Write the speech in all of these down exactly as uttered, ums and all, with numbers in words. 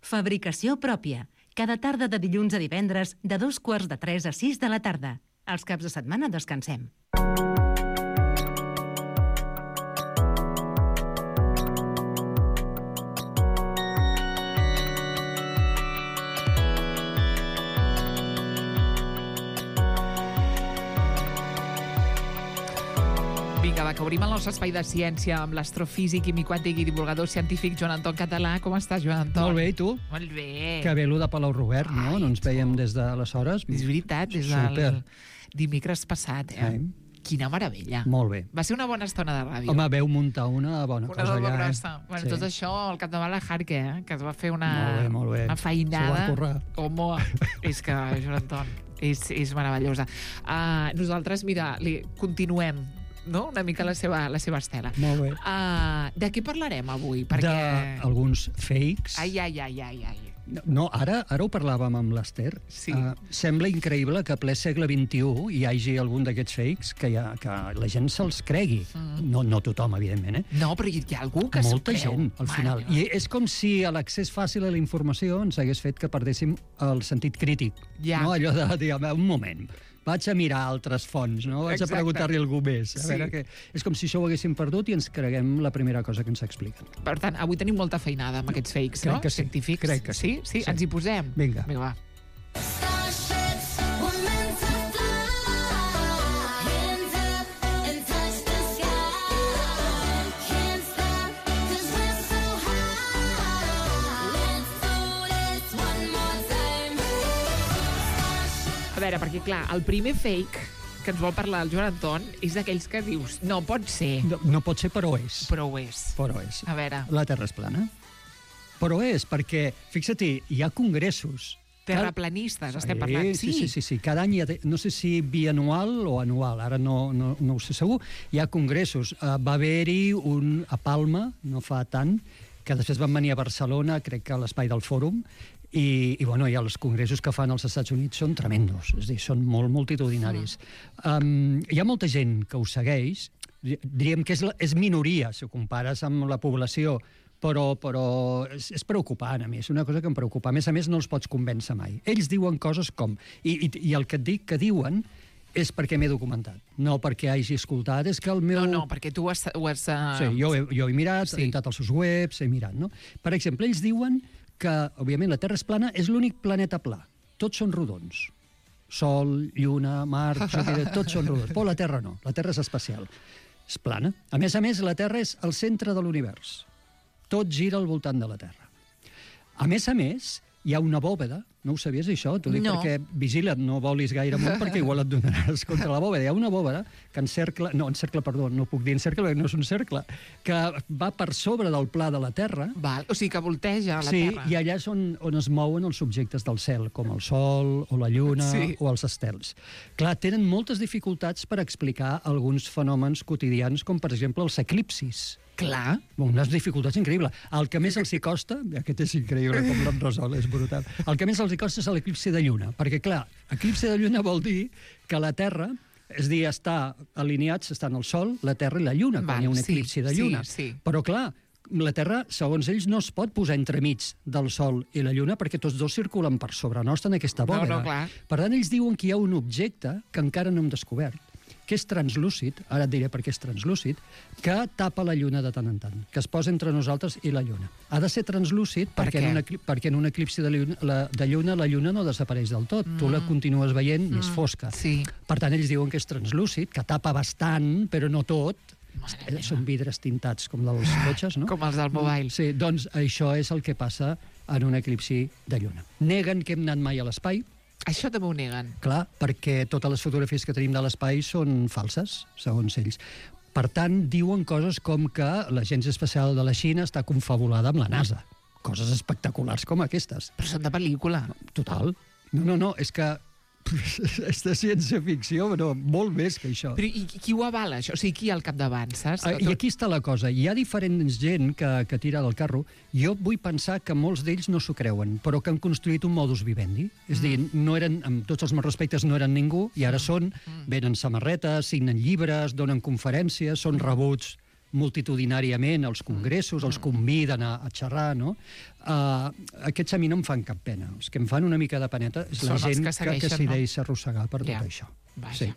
Fabricació pròpia. Cada tarda de dilluns a divendres, de dos quarts de tres a sis de la tarda. Els caps de setmana descansem. Vinga, va, que obrim el nostre espai de ciència amb l'astrofísic, químic quàntic i divulgador científic Joan Anton Català. Com estàs, Joan Anton? Molt bé, i tu? Molt bé. Que bé, allò de Palau Robert, no? Ai, no ens veiem des d'aleshores. És veritat, des Super. del dimecres passat, eh? Sí. Quina meravella. Molt bé. Va ser una bona estona de ràdio. Home, veu muntar una bona una cosa doble allà. grossa. Eh? Bueno, Sí. tot això al capdavant la Jarque, eh? Que es va fer una, Molt bé, molt bé. una feinada. S'ho va currar. Com és que, Joan Anton, és, és meravellosa. Uh, nosaltres, mira, li continuem no? una mica la seva, la seva estela. Molt bé. Uh, de què parlarem avui? Perquè... D'alguns fakes. Ai, ai, ai, ai, ai. No, ara, ara ho parlàvem amb l'Ester. Sí. Uh, sembla increïble que a ple segle vint-i-u hi hagi algun d'aquests fakes que, hi ha, que la gent se'ls cregui. Mm. No, no tothom, evidentment, eh? No, però hi ha algú que s'ho Molta creu. gent, al Mare final. meva. I és com si l'accés fàcil a la informació ens hagués fet que perdéssim el sentit crític. Ja. No? Allò de dir, un moment, vaig a mirar altres fonts, no? Vaig Exacte. a preguntar-li a algú més. A Sí. veure que... És com si això ho haguéssim perdut i ens creguem la primera cosa que ens expliquen. Per tant, avui tenim molta feinada amb aquests fakes, Crec no? que sí. Científics. Crec que sí. sí. Sí? Sí. Ens hi posem? Vinga. Vinga, va. Starships were meant to fly. Hands up and touch the sky. Can't stop 'cause we're so high. Let's do this one more time. A veure, perquè clar, el primer fake que ens vol parlar el Joan Anton és d'aquells que dius, no pot ser, No, no pot ser, però és. però ho és. Però és. A veure, La Terra és plana. Però és, perquè, fixa't-hi, hi ha congressos. terraplanistes, estem Sí, parlant. Sí, sí, sí, sí. Cada any hi ha, no sé si bianual o anual, ara no, no, no ho sé segur, hi ha congressos. Uh, va haver-hi un a Palma, no fa tant, que després van venir a Barcelona, crec que a l'espai del Fòrum, i, i, bueno, i els congressos que fan als Estats Units són tremendos, és a dir, són molt multitudinaris. Um, hi ha molta gent que ho segueix, diríem que és, la, és minoria, si ho compares amb la població, però, però és, és preocupant, a mi, és una cosa que em preocupa. A més a més, no els pots convèncer mai. Ells diuen coses com... I, i, i el que et dic que diuen és perquè m'he documentat, no perquè hagi escoltat, és que el meu... No, no, perquè tu ho has... Ho has uh... Sí, jo, he, jo he mirat, Sí. he entrat als seus webs, he mirat, no? Per exemple, ells diuen que, òbviament, la Terra és plana, és l'únic planeta pla. Tots són rodons. Sol, Lluna, Mart, Júpiter, tots són rodons. Però la Terra no, la Terra és especial. És plana. A més a més, la Terra és el centre de l'univers. Tot gira al voltant de la Terra. A més a més, hi ha una bòveda, no ho sabies això? T'ho dic No. perquè vigila't, no volis gaire amunt perquè igual et donaràs contra la bòveda. Hi ha una bòveda que encercla, no, encercla, perdó, no puc dir encercla perquè no és un cercle, que va per sobre del pla de la Terra. Val, o sigui que volteja la Sí, Terra. i allà és on, on es mouen els objectes del cel, com el Sol, o la Lluna, Sí. o els estels. Clar, tenen moltes dificultats per explicar alguns fenòmens quotidians, com per exemple els eclipsis. Clar. Unes dificultats increïbles. El que més els hi costa, aquest és increïble com l'han resolt, és brutal, el que més els hi costa és l'eclipsi de lluna, perquè clar, eclipsi de lluna vol dir que la Terra, és a dir, està alineats, estan el Sol, la Terra i la Lluna, quan Val, hi ha un sí, eclipsi de sí, lluna. sí. Però clar, la Terra, segons ells, no es pot posar entremig del Sol i la Lluna perquè tots dos circulen per sobre nostre en aquesta No, bòveda. no, clar. Per tant, ells diuen que hi ha un objecte que encara no hem descobert, que és translúcid, ara et diré per què és translúcid, que tapa la Lluna de tant en tant, que es posa entre nosaltres i la Lluna. Ha de ser translúcid Per perquè, què? en un eclipsi, perquè en un eclipsi de lluna, la, de lluna la Lluna no desapareix del tot. Mm. Tu la continues veient mm. més fosca. Sí. Per tant, ells diuen que és translúcid, que tapa bastant, però no tot. Mare Eh, meva. Són vidres tintats com dels cotxes, no? Com els del mobile. Sí, doncs això és el que passa en un eclipsi de Lluna. Neguen que hem anat mai a l'espai, Això també ho neguen. clar, perquè totes les fotografies que tenim de l'espai són falses, segons ells. Per tant, diuen coses com que l'Agència Espacial de la Xina està confabulada amb la NASA. Coses espectaculars com aquestes. Però són de pel·lícula. Total. No, no, no, és que és de ciència-ficció, però molt més que això. Però i qui ho avala, això? O sigui, qui hi ha al capdavant, saps? Ah, I aquí està la cosa. Hi ha diferents gent que, que tira del carro. Jo vull pensar que molts d'ells no s'ho creuen, però que han construït un modus vivendi. És a dir, no eren, amb tots els meus respectes, no eren ningú, i ara són, venen samarretes, signen llibres, donen conferències, són rebuts multitudinàriament als congressos, els conviden a, a xerrar, no? Uh, aquests a mi no em fan cap pena. Els que em fan una mica de peneta és la Són els gent que que, segueixen, que s'hi no? deixa arrossegar per tot Ja. això. Vaja. Sí.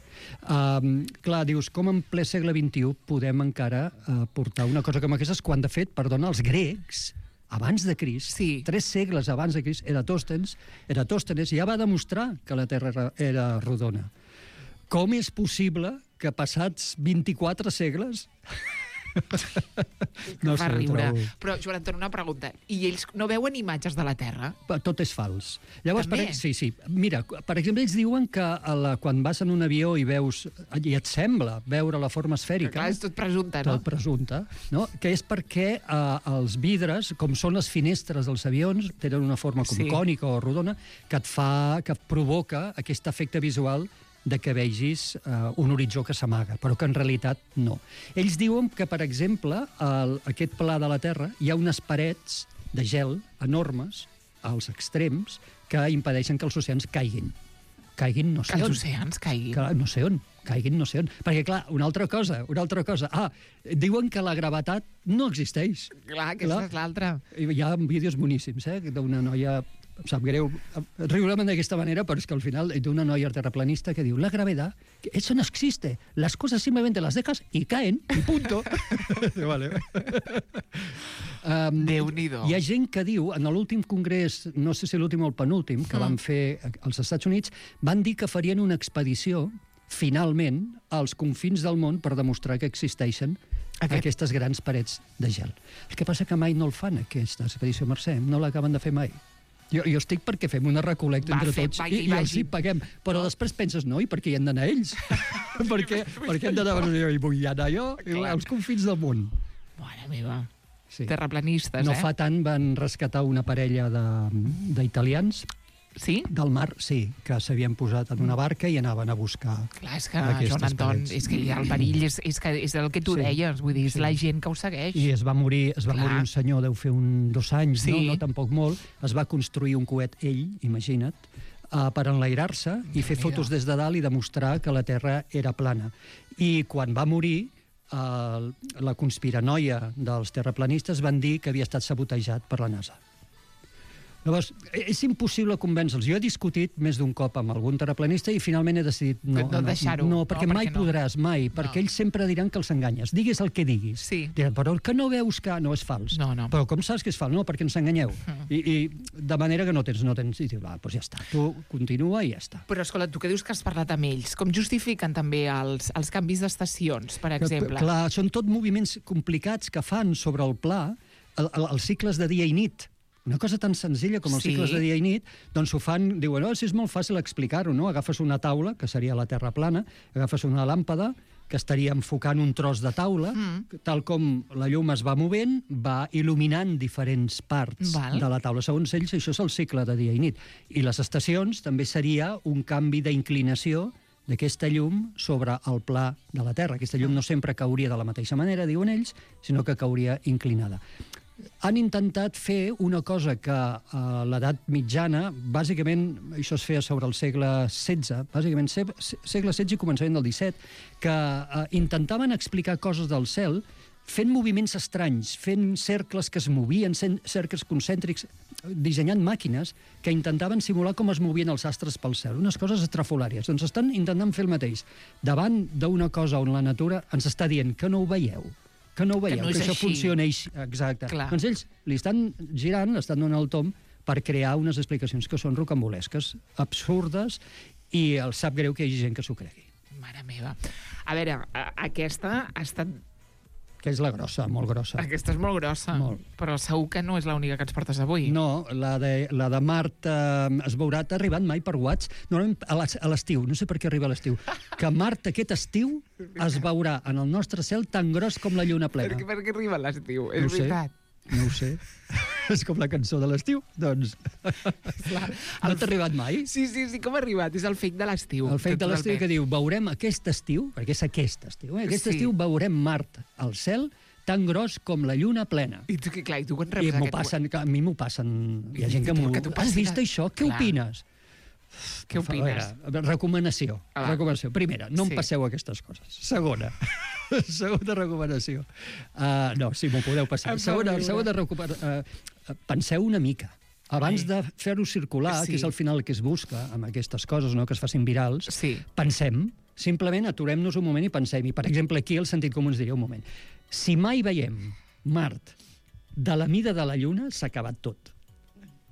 Um, clar, dius, com en ple segle vint-i-u podem encara uh, portar una cosa com aquesta, quan de fet, perdona, els grecs, abans de Crist, Sí. tres segles abans de Crist, Eratòstenes, Eratòstenes ja va demostrar que la Terra era, era rodona. Com és possible que passats vint-i-quatre segles... No fa sé, ho riure. trobo- Però, Joan Anton, una pregunta. I ells no veuen imatges de la Terra? Tot és fals. Llavors, També? per, sí, sí. Mira, per exemple, ells diuen que a la, quan vas en un avió i veus, i et sembla veure la forma esfèrica, Clar, és tot presumpte, no? tot presumpte, no? Que és perquè eh, els vidres, com són les finestres dels avions, tenen una forma com Sí. cònica o rodona, que et fa, que et provoca aquest efecte visual de que vegis uh, un horitzó que s'amaga, però que en realitat no. Ells diuen que, per exemple, el, aquest pla de la Terra hi ha unes parets de gel enormes als extrems que impedeixen que els oceans caiguin. Caiguin no sé Que els on. oceans caiguin. Que, no sé on, caiguin no sé on. Perquè, clar, una altra cosa, una altra cosa. Ah, diuen que la gravetat no existeix. Clar, aquesta Clar. és l'altra. Hi ha vídeos boníssims, eh, d'una noia, em sap greu riurem d'aquesta manera, però és que al final d'una noia terraplanista que diu la gravedad, eso no existe, las cosas simplemente las dejas y caen, y punto. Vale. Um, Déu-n'hi-do. hi ha gent que diu, en l'últim congrés, no sé si l'últim o el penúltim, que Mm. van fer als Estats Units, van dir que farien una expedició, finalment, als confins del món per demostrar que existeixen Aquest- aquestes grans parets de gel. El que passa que mai no el fan, aquesta expedició, Mercè, no l'acaben de fer mai. Jo, jo estic perquè fem una recolecta Va, entre fem, tots vagi, i, i els vagi. hi paguem. Però no. després penses, no, i per què hi han d'anar ells? per què, per què hem d'anar a Barcelona? I vull anar jo i Clar. als confins del món. Mare meva. Sí. Terraplanistes, No eh? fa tant van rescatar una parella de- d'italians Sí? del mar, sí, que s'havien posat en una barca i anaven a buscar... Clar, és que, Aquestes Joan Anton, parets. és que el perill és, és, que és el que tu Sí, deies, vull dir, és sí. la gent que ho segueix. I es va morir, es va Clar. morir un senyor, deu fer un, dos anys, Sí. no, no tampoc molt, es va construir un coet ell, imagina't, uh, per enlairar-se i fer Déu-n'hi-do. fotos des de dalt i demostrar que la Terra era plana. I quan va morir, uh, la conspiranoia dels terraplanistes van dir que havia estat sabotejat per la NASA. Llavors, és impossible convèncer-los. Jo he discutit més d'un cop amb algun terraplanista i finalment he decidit no, No deixar-ho. no, No, perquè perquè mai no. podràs, mai, perquè ells sempre diran que els enganyes. Digues el que diguis. Sí. Diran, però el que no veus que no és fals. No, no. Però com saps que és fals? No, perquè ens enganyeu. I, i de manera que no tens, no tens. I dius, va, doncs ja està. Tu continua i ja està. Però, escolta, tu que dius que has parlat amb ells, com justifiquen també els, els canvis d'estacions, per exemple? Que, clar, són tot moviments complicats que fan sobre el pla, el, el, els cicles de dia i nit. Una cosa tan senzilla com els Sí. cicles de dia i nit, doncs ho fan, diuen, oh, si és molt fàcil explicar-ho, no? Agafes una taula, que seria la Terra plana, agafes una làmpada, que estaria enfocant un tros de taula, Mm. tal com la llum es va movent, va il·luminant diferents parts Val. de la taula. Segons ells, això és el cicle de dia i nit. I les estacions també seria un canvi d'inclinació d'aquesta llum sobre el pla de la Terra. Aquesta llum no sempre cauria de la mateixa manera, diuen ells, sinó que cauria inclinada. Han intentat fer una cosa que a l'edat mitjana, bàsicament, això es feia sobre el segle setze, bàsicament se- segle setze i començament del disset, que eh, intentaven explicar coses del cel fent moviments estranys, fent cercles que es movien, cen- cercles concèntrics, dissenyant màquines que intentaven simular com es movien els astres pel cel, unes coses estrafolàries. Doncs estan intentant fer el mateix. Davant d'una cosa on la natura ens està dient que no ho veieu, que no ho veieu, no que, és això així. funciona així. Exacte. Clar. Doncs ells li estan girant, estan donant el tom per crear unes explicacions que són rocambolesques, absurdes, i els sap greu que hi hagi gent que s'ho cregui. Mare meva. A veure, a- aquesta ha estat... Que és la grossa, molt grossa. Aquesta és molt grossa, Molt. però segur que no és l'única que ens portes avui. No, la de, la de Mart eh, es veurà, t'ha arribat mai per WhatsApp? Normalment a l'es- a l'estiu, no sé per què arriba a l'estiu. Que Mart aquest estiu es veurà en el nostre cel tan gros com la lluna Per plena. què, per què arriba l'estiu? És No ho sé. veritat. No ho sé. És com la cançó de l'estiu, doncs. Clar. No t'ha arribat mai? Sí, sí, sí, com ha arribat? És el fake de l'estiu. El fet de l'estiu que totalment. diu, veurem aquest estiu, perquè és aquest estiu, eh? aquest Sí. estiu veurem Mart al cel tan gros com la lluna plena. I tu, que, clar, i tu quan I reps m'ho aquest... passen, que a mi m'ho passen, hi ha I gent que tu, m'ho... que t'ho Has passi vist de- això? Què Clar. opines? Què Per favor, opines? a veure, recomanació. Ah, va. recomanació. Primera, no Sí. em passeu aquestes coses. Segona, segona recomanació. Uh, no, sí, m'ho podeu passar. Em fa Segona, riure. segona recomanació. Uh, penseu una mica. Abans Ai. de fer-ho circular, Sí. que és al final el que es busca amb aquestes coses, no? Que es facin virals, Sí. pensem, simplement aturem-nos un moment i pensem. I, per exemple, aquí el sentit comú ens diria un moment. Si mai veiem Mart de la mida de la Lluna, s'ha acabat tot.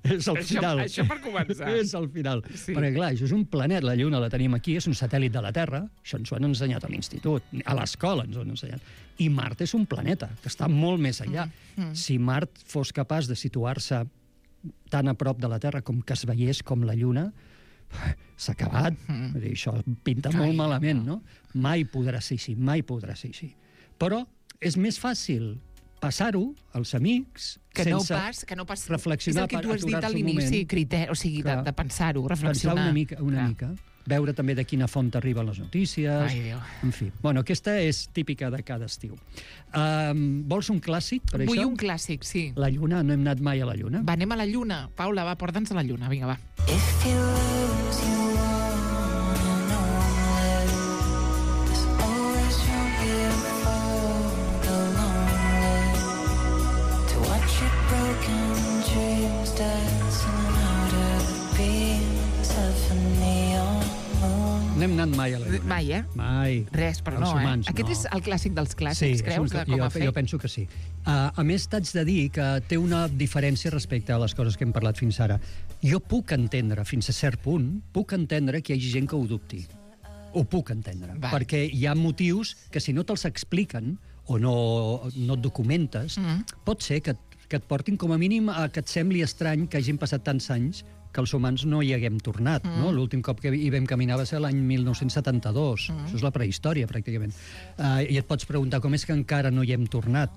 És el Això- final. això per començar. És el final. Sí. Perquè, clar, això és un planet, la Lluna la tenim aquí, és un satèl·lit de la Terra, això ens ho han ensenyat a l'institut, a l'escola ens ho han ensenyat. I Mart és un planeta, que està molt més enllà. Mm. Si Mart fos capaç de situar-se tan a prop de la Terra com que es veiés com la Lluna, s'ha acabat. Mm. Vull dir, això pinta Ai, molt malament, no? Mai podrà ser així, mai podrà ser així. Però és més fàcil passar-ho als amics Que sense no pas, que no pas... reflexionar, És el que tu has dit a aturar-se un l'inici, moment. criteri, o sigui, de, Clar. de pensar-ho, pensar reflexionar. una mica, una Clar. mica. Veure també de quina font arriben les notícies. Ai, Déu. En fi. Bueno, aquesta és típica de cada estiu. Um, vols un clàssic, per Vull això? un clàssic, sí. La Lluna, no hem anat mai a la Lluna. Va, anem a la Lluna. Paula, va, porta'ns a la Lluna, vinga, va. If you lose, you wanna know it. There's always room here for the lonely to watch your broken dreams dancing out of the beams of a neon moon. No hem anat mai a la Lluna. Mai, eh? Mai. Res, però Els no, humans, eh? Aquest no. és el clàssic dels clàssics, és creus, un- de com jo, a fet? jo penso que sí. Uh, a més, t'haig de dir que té una diferència respecte a les coses que hem parlat fins ara. Jo puc entendre, fins a cert punt, puc entendre que hi hagi gent que ho dubti. Ho puc entendre. Val. Perquè hi ha motius que si no te'ls expliquen o no, no et documentes, Mm. pot ser que, que et portin com a mínim a que et sembli estrany que hagin passat tants anys que els humans no hi haguem tornat. Mm. No? L'últim cop que hi vam caminar va ser l'any mil nou-cents setanta-dos. Mm. Això és la prehistòria, pràcticament. Uh, I et pots preguntar com és que encara no hi hem tornat.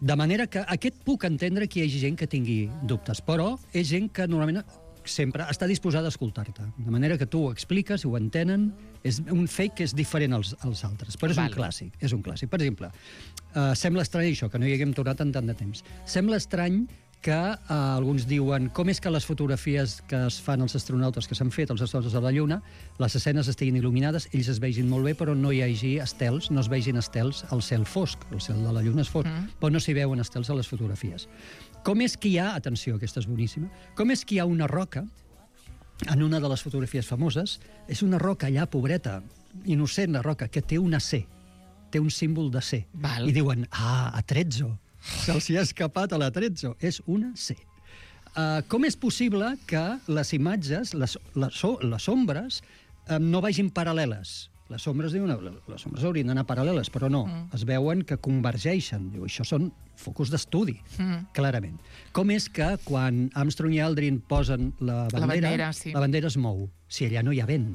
De manera que aquest puc entendre que hi hagi gent que tingui dubtes, però és gent que normalment sempre està disposada a escoltar-te. De manera que tu ho expliques, ho entenen, és un fet que és diferent als, als altres, però és Vale. un clàssic, és un clàssic. Per exemple, uh, sembla estrany això, que no hi haguem tornat en tant de temps. Sembla estrany que uh, alguns diuen com és que les fotografies que es fan als astronautes, que s'han fet als astronautes de la Lluna, les escenes estiguin il·luminades, ells es vegin molt bé, però no hi hagi estels, no es vegin estels al cel fosc. El cel de la Lluna és fosc, mm. però no s'hi veuen estels a les fotografies. Com és que hi ha, atenció, aquesta és boníssima, com és que hi ha una roca en una de les fotografies famoses, és una roca allà, pobreta, innocent, la roca, que té una C, té un símbol de C. Val. I diuen, ah, a Trezzo, se'ls hi ha escapat a la Trezzo, és una C. Uh, com és possible que les imatges, les, les, les ombres, uh, no vagin paral·leles? Les ombres, diuen, les ombres haurien d'anar paral·leles, però no, mm. es veuen que convergeixen. Diu, això són focus d'estudi, mm. clarament. Com és que quan Armstrong i Aldrin posen la bandera, La bandera, sí. la bandera es mou, si allà no hi ha vent?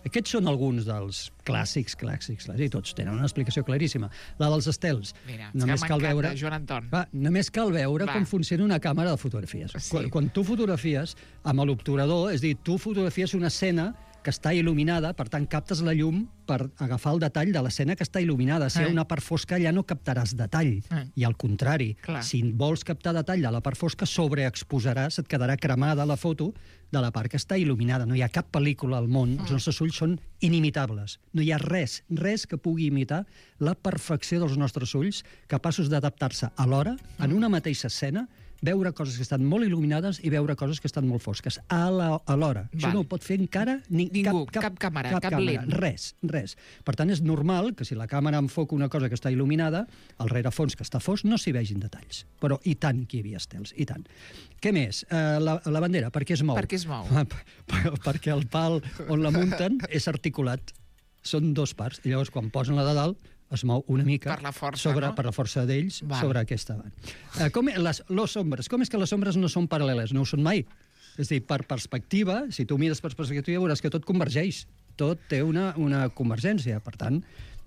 Aquests són alguns dels clàssics, clàssics, clàssics, i tots tenen una explicació claríssima. La dels estels. Mira, només que cal m'encanta, veure... Joan Anton. Va, només cal veure Va. com funciona una càmera de fotografies. Sí. Quan, quan tu fotografies amb l'obturador, és a dir, tu fotografies una escena que està il·luminada, per tant, captes la llum per agafar el detall de l'escena que està il·luminada. Si hi ha Eh. una part fosca, allà no captaràs detall. Eh. I al contrari, Clar. si vols captar detall de la part fosca, sobreexposaràs, et quedarà cremada la foto de la part que està il·luminada. No hi ha cap pel·lícula al món, els nostres ulls són inimitables. No hi ha res, res que pugui imitar la perfecció dels nostres ulls, capaços d'adaptar-se alhora, en una mateixa escena, veure coses que estan molt il·luminades i veure coses que estan molt fosques, a la- alhora. Això Val. no ho pot fer encara ni, Ningú, cap, cap càmera, cap càmera. lent. Res, res. Per tant, és normal que si la càmera enfoca una cosa que està il·luminada, el rerefons que està fosc no s'hi vegin detalls. Però i tant que hi havia estels, i tant. Què més? Uh, la, la bandera, per què es mou? Per què es mou? Perquè el pal on la munten és articulat. Són dos parts. I llavors, quan posen la de dalt, es mou una mica Per la força, sobre, no? per la força d'ells Val. sobre aquesta banda. Uh, com, les, les ombres. Com és que les ombres no són paral·leles? No ho són mai. És a dir, per perspectiva, si tu mires per perspectiva, veuràs que tot convergeix. Tot té una, una convergència. Per tant,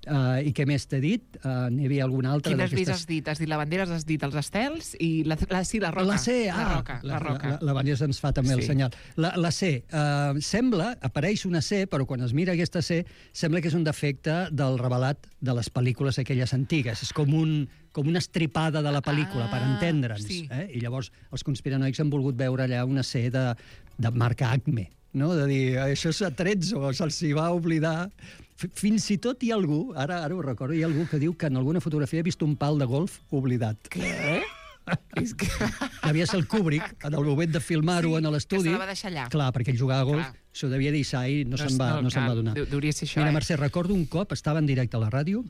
uh, i què més t'he dit? Uh, N'hi havia alguna altra Quines més d'aquestes... has dit? Has dit la bandera, has dit els estels i la, la, sí, la roca. La C, ah, La roca, la, roca. La, la, la Vanessa ens fa també Sí. el senyal. La, la C, uh, sembla, apareix una C, però quan es mira aquesta C, sembla que és un defecte del revelat de les pel·lícules aquelles antigues. És com, un, com una estripada de la pel·lícula, Ah, per entendre'ns. sí. Eh? I llavors els conspiranoics han volgut veure allà una C de, de marca Acme, no? De dir, això és a Trezzo, se'ls hi va oblidar F- Fins i tot hi ha algú, ara ara ho recordo, hi ha algú que diu que en alguna fotografia ha vist un pal de golf oblidat. Què? És que... Devia ser el Kubrick, en el moment de filmar-ho Sí, en l'estudi. que se la va deixar allà. Clar, perquè ell jugava a golf, Clar. s'ho devia deixar i no, No, se'n va, no, no se'n clar, va donar. deu- deuria ser això, Mira, eh? Mercè, recordo un cop, estava en directe a la ràdio,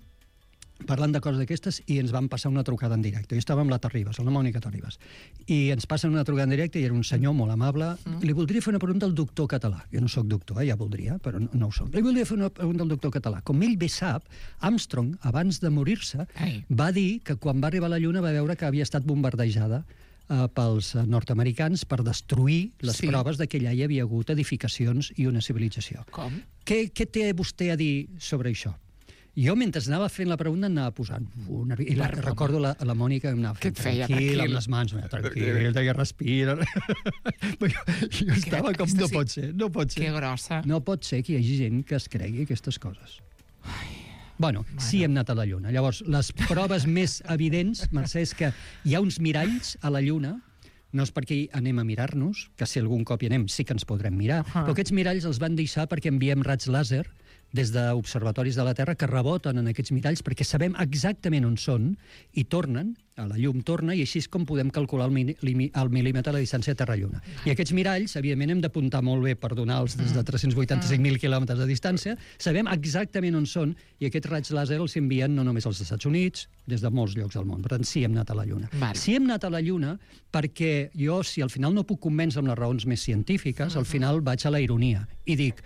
parlant de coses d'aquestes, i ens van passar una trucada en directe. Jo estava amb la Terribas, amb la Mònica Terribas, i ens passen una trucada en directe i era un senyor molt amable. Mm. Li voldria fer una pregunta al doctor català. Jo no sóc doctor, eh? Ja voldria, però no, no ho soc. Li voldria fer una pregunta al doctor català. Com ell bé sap, Armstrong, abans de morir-se, Ai. va dir que quan va arribar a la Lluna va veure que havia estat bombardejada eh, pels eh, nord-americans per destruir les Sí. proves de que allà hi havia hagut edificacions i una civilització. Com? Què, què té vostè a dir sobre això? Jo, mentre anava fent la pregunta, anava posant una... I la, Perdona. recordo la, la Mònica em anava Què fent et feia? tranquil, Tranquil. amb les mans, mira, tranquil, deia, respira. Però jo, jo estava com, aquesta no sí. pot ser, no pot Que ser. grossa. No pot ser que hi hagi gent que es cregui aquestes coses. Bueno, sí hem anat a la Lluna. Llavors, les proves més evidents, Mercè, és que hi ha uns miralls a la Lluna, no és perquè hi anem a mirar-nos, que si algun cop hi anem sí que ens podrem mirar, Ah. però aquests miralls els van deixar perquè enviem raigs làser des d'observatoris de la Terra que reboten en aquests miralls perquè sabem exactament on són i tornen, a la llum torna, i així és com podem calcular el, mini, limi- el mil·límetre de la distància Terra-Lluna. I aquests miralls, evidentment, hem d'apuntar molt bé per donar-los des de tres-cents vuitanta-cinc mil quilòmetres de distància, sabem exactament on són, i aquests raigs làser els envien no només als Estats Units, des de molts llocs del món. Per tant, sí hem anat a la Lluna. Vale. Sí hem anat a la Lluna perquè jo, si al final no puc convèncer amb les raons més científiques, al final vaig a la ironia i dic,